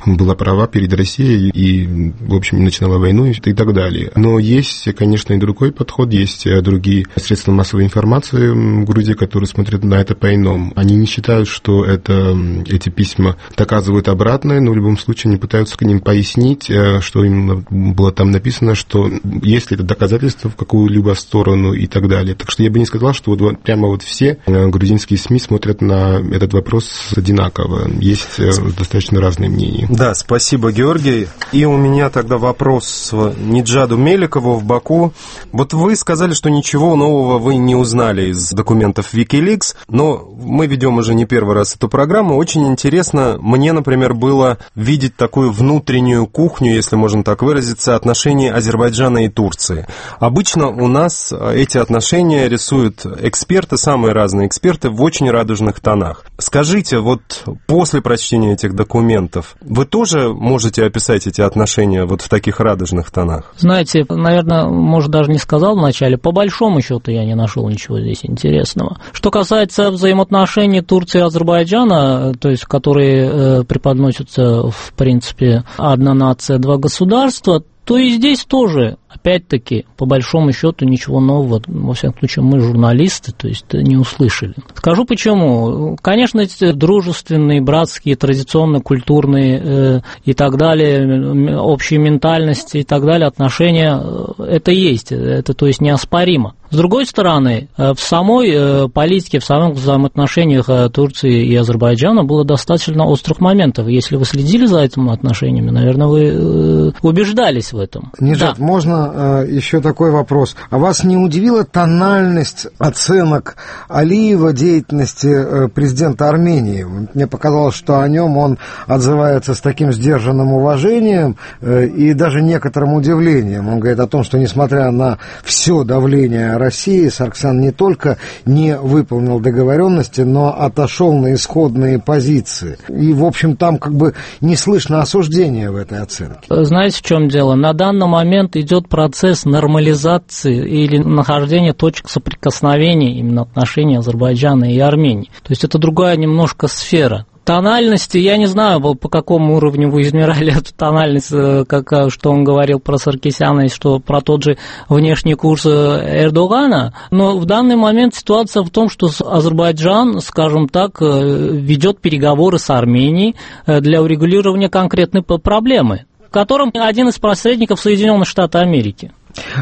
была права перед Россией и, в общем, начинала войну и так далее. Но есть, конечно, и другой подход, есть другие средства массовой информации в Грузии, которые смотрят на это по-иному. Они не считают, что это, эти письма доказывают обратное, но в любом случае они пытаются к ним пояснить, что именно было там написано, что есть ли это доказательство в какую-либо сторону и так далее. Так что я бы не сказал, что вот прямо вот все грузинские СМИ смотрят на этот вопрос одинаково. Есть достаточно разные мнения. Да, спасибо, Георгий. И у меня тогда вопрос Ниджаду Меликову в Баку. Вот вы сказали, что ничего нового вы не узнали из документов Wikileaks, но мы ведем уже не первый раз эту программу. Очень интересно, мне, например, было видеть такую внутреннюю кухню, если можно так выразиться, отношений Азербайджана и Турции. Обычно у нас эти отношения рисуют эксперты, самые разные эксперты, в очень радужных тонах. Скажите, вот после прочтения этих документов, вы тоже можете описать эти отношения вот в таких радужных тонах? Знаете, наверное, может, даже не сказал вначале, по большому счету я не нашел ничего здесь интересного. Что касается взаимоотношений Турции и Азербайджана, то есть которые э, преподносятся, в принципе, одна нация, два государства, то и здесь тоже Опять-таки, по большому счету, ничего нового, во всяком случае, мы журналисты, то есть не услышали. Скажу почему. Конечно, эти дружественные, братские, традиционно культурные э, и так далее, общие ментальности и так далее, отношения, это есть, это, то есть, неоспоримо. С другой стороны, в самой политике, в самых взаимоотношениях Турции и Азербайджана было достаточно острых моментов. Если вы следили за этими отношениями, наверное, вы убеждались в этом. Ниджат, да. Можно еще такой вопрос? А вас не удивила тональность оценок Алиева деятельности президента Армении? Мне показалось, что о нем он отзывается с таким сдержанным уважением и даже некоторым удивлением. Он говорит о том, что несмотря на все давление России, Сарксян не только не выполнил договоренности, но отошел на исходные позиции. И, в общем, там как бы не слышно осуждения в этой оценке. Знаете, в чем дело? На данный момент идет процесс нормализации или нахождения точек соприкосновения именно отношений Азербайджана и Армении. То есть это другая немножко сфера. Тональности, я не знаю, по какому уровню вы измеряли эту тональность, как, что он говорил про Саркисяна и что про тот же внешний курс Эрдогана, но в данный момент ситуация в том, что Азербайджан, скажем так, ведет переговоры с Арменией для урегулирования конкретной проблемы, в котором один из посредников Соединенных Штатов Америки.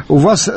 У вас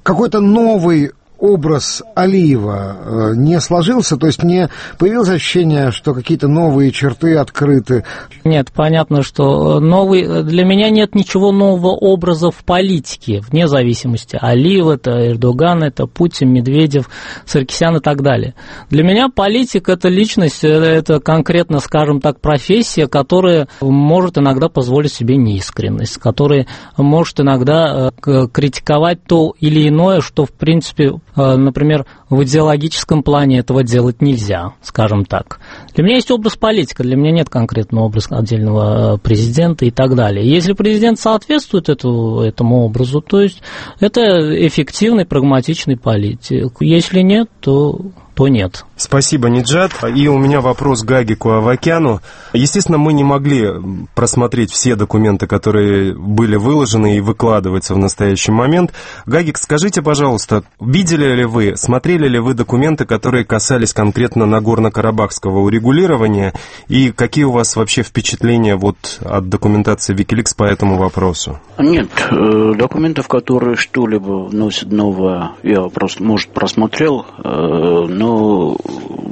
какой-то новый образ Алиева не сложился, то есть не появилось ощущение, что какие-то новые черты открыты? Нет, понятно, что новый, для меня нет ничего нового образа в политике, вне зависимости. Алиев, это Эрдоган, это Путин, Медведев, Саркисян и так далее. Для меня политик – это личность, это конкретно, скажем так, профессия, которая может иногда позволить себе неискренность, которая может иногда критиковать то или иное, что, в принципе, например, в идеологическом плане этого делать нельзя, скажем так. Для меня есть образ политика, для меня нет конкретного образа отдельного президента и так далее. Если президент соответствует эту, этому образу, то есть это эффективный, прагматичный политик. Если нет, то... то нет. Спасибо, Ниджат. И у меня вопрос к Гагику Авакяну. Естественно, мы не могли просмотреть все документы, которые были выложены и выкладываются в настоящий момент. Гагик, скажите, пожалуйста, видели ли вы, смотрели ли вы документы, которые касались конкретно Нагорно-Карабахского урегулирования, и какие у вас вообще впечатления вот от документации Wikileaks по этому вопросу? Нет, документов, которые что-либо вносят новое, я просто, может, просмотрел, но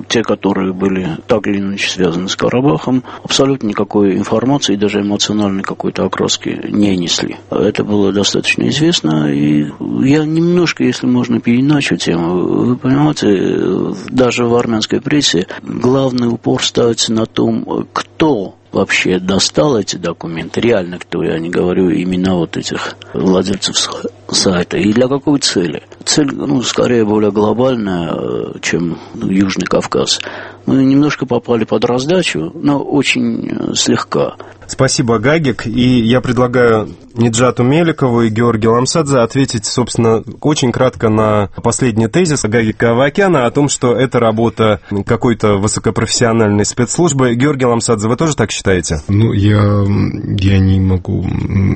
те, которые были так или иначе связаны с Карабахом, абсолютно никакой информации, даже эмоциональной какой-то окраски не несли. Это было достаточно известно, и я немножко, если можно, переначу тему. Вы понимаете, даже в армянской прессе главный упор ставится на том, кто вообще достал эти документы, реально кто, я не говорю имена вот этих владельцев сайта, и для какой цели. Цель, ну, скорее более глобальная, чем Южный Кавказ. Мы немножко попали под раздачу, но очень слегка. Спасибо, Гагик. И я предлагаю Ниджату Меликову и Георгию Ламсадзе ответить, собственно, очень кратко на последний тезис Гагика Авакяна о том, что это работа какой-то высокопрофессиональной спецслужбы. Георгий Ламсадзе, вы тоже так считаете? Ну, я, я не могу,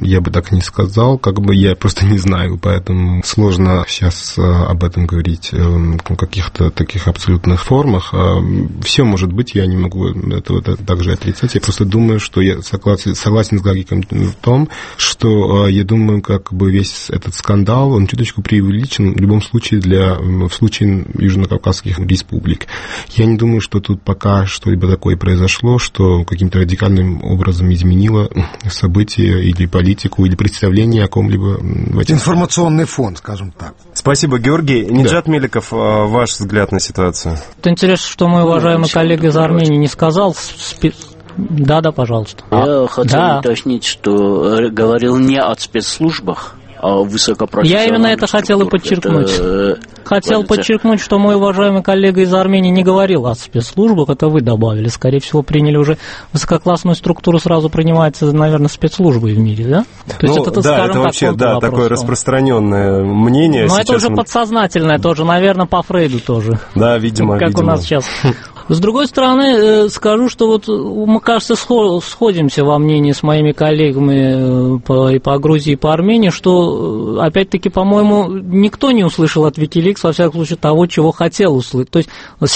я бы так не сказал, как бы я просто не знаю, поэтому сложно сейчас об этом говорить в каких-то таких абсолютных формах. Все может быть, я не могу этого также отрицать. Я просто думаю, что я согласен, согласен с Гагиком в том, что я думаю, как бы весь этот скандал, он чуточку преувеличен в любом случае для, в случае южнокавказских республик. Я не думаю, что тут пока что-либо такое произошло, что каким-то радикальным образом изменило события или политику, или представление о ком-либо. Информационный фон, скажем так. Спасибо, Георгий. Ниджат да. Меликов, ваш взгляд на ситуацию. Это интересно, что мой уважаемый коллега из Армении не сказал. Да, да, пожалуйста. Я хотел да. уточнить, что говорил не о спецслужбах, а о высокопрофессиональных. Я именно это хотел и подчеркнуть. Это... Хотел Полиция. подчеркнуть, что мой уважаемый коллега из Армении не говорил о спецслужбах, это вы добавили. Скорее всего, приняли уже высококлассную структуру, сразу принимается, наверное, спецслужбы в мире, да? То есть ну, это, да, это вообще да, вопрос, такое распространенное мнение. Но это уже мы... подсознательное тоже, наверное, по Фрейду тоже. Да, видимо, Как видимо. у нас сейчас С другой стороны, скажу, что вот мы, кажется, сходимся во мнении с моими коллегами по, и по Грузии, и по Армении, что, опять-таки, по-моему, никто не услышал от Wikileaks, во всяком случае, того, чего хотел услышать. То есть,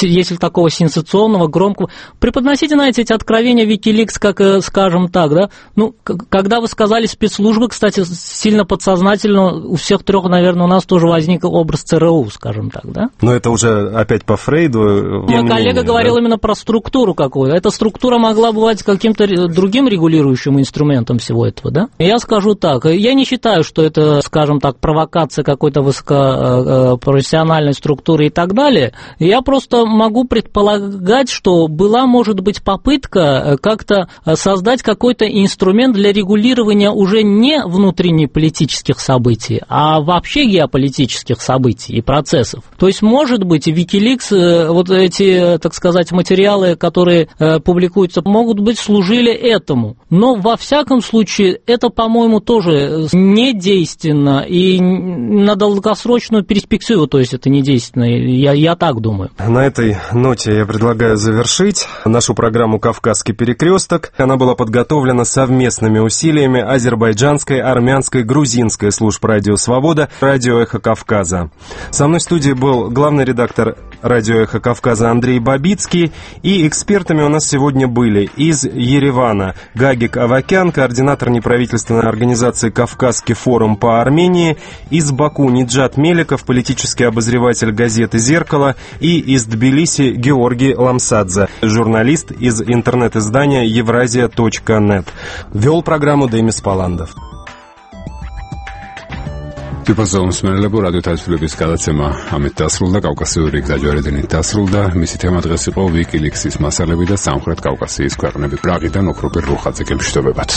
если такого сенсационного, громкого... Преподносите, знаете, эти откровения Wikileaks, как, скажем так, да? Ну, когда вы сказали спецслужбы, кстати, сильно подсознательно у всех трех, наверное, у нас тоже возник образ ЦРУ, скажем так, да? Но это уже опять по Фрейду. Мой коллега говорил, говорил именно про структуру какую-то. Эта структура могла бывать каким-то другим регулирующим инструментом всего этого, да? Я скажу так, я не считаю, что это, скажем так, провокация какой-то высокопрофессиональной структуры и так далее. Я просто могу предполагать, что была, может быть, попытка как-то создать какой-то инструмент для регулирования уже не внутреннеполитических событий, а вообще геополитических событий и процессов. То есть, может быть, Wikileaks, вот эти, так сказать, материалы, которые э, публикуются, могут быть, служили этому. Но, во всяком случае, это, по-моему, тоже недейственно и на долгосрочную перспективу, то есть это недейственно, я, я так думаю. На этой ноте я предлагаю завершить нашу программу «Кавказский перекресток». Она была подготовлена совместными усилиями азербайджанской, армянской, грузинской служб «Радио Свобода», «Радио Эхо Кавказа». Со мной в студии был главный редактор «Радио Эхо Кавказа» Андрей Бабицкий, и экспертами у нас сегодня были из Еревана Гагик Авакян, координатор неправительственной организации «Кавказский форум по Армении», из Баку Ниджат Меликов, политический обозреватель газеты «Зеркало», и из Тбилиси Георгий Ламсадзе, журналист из интернет-издания евразия точка нет. Вел программу Демис Паландов. Типозом смерლებო რადიო თავისუფლების გადაცემა ამით დასრულდა, კავკასიური გზაჯვარედინით დასრულდა. მისი თემა დღეს იყო Wikileaks-ის მასალები და სამხრეთ კავკასიის ქვეყნები. პრაღიდან ოქროპირ რუხაძე გემშვიდობებათ.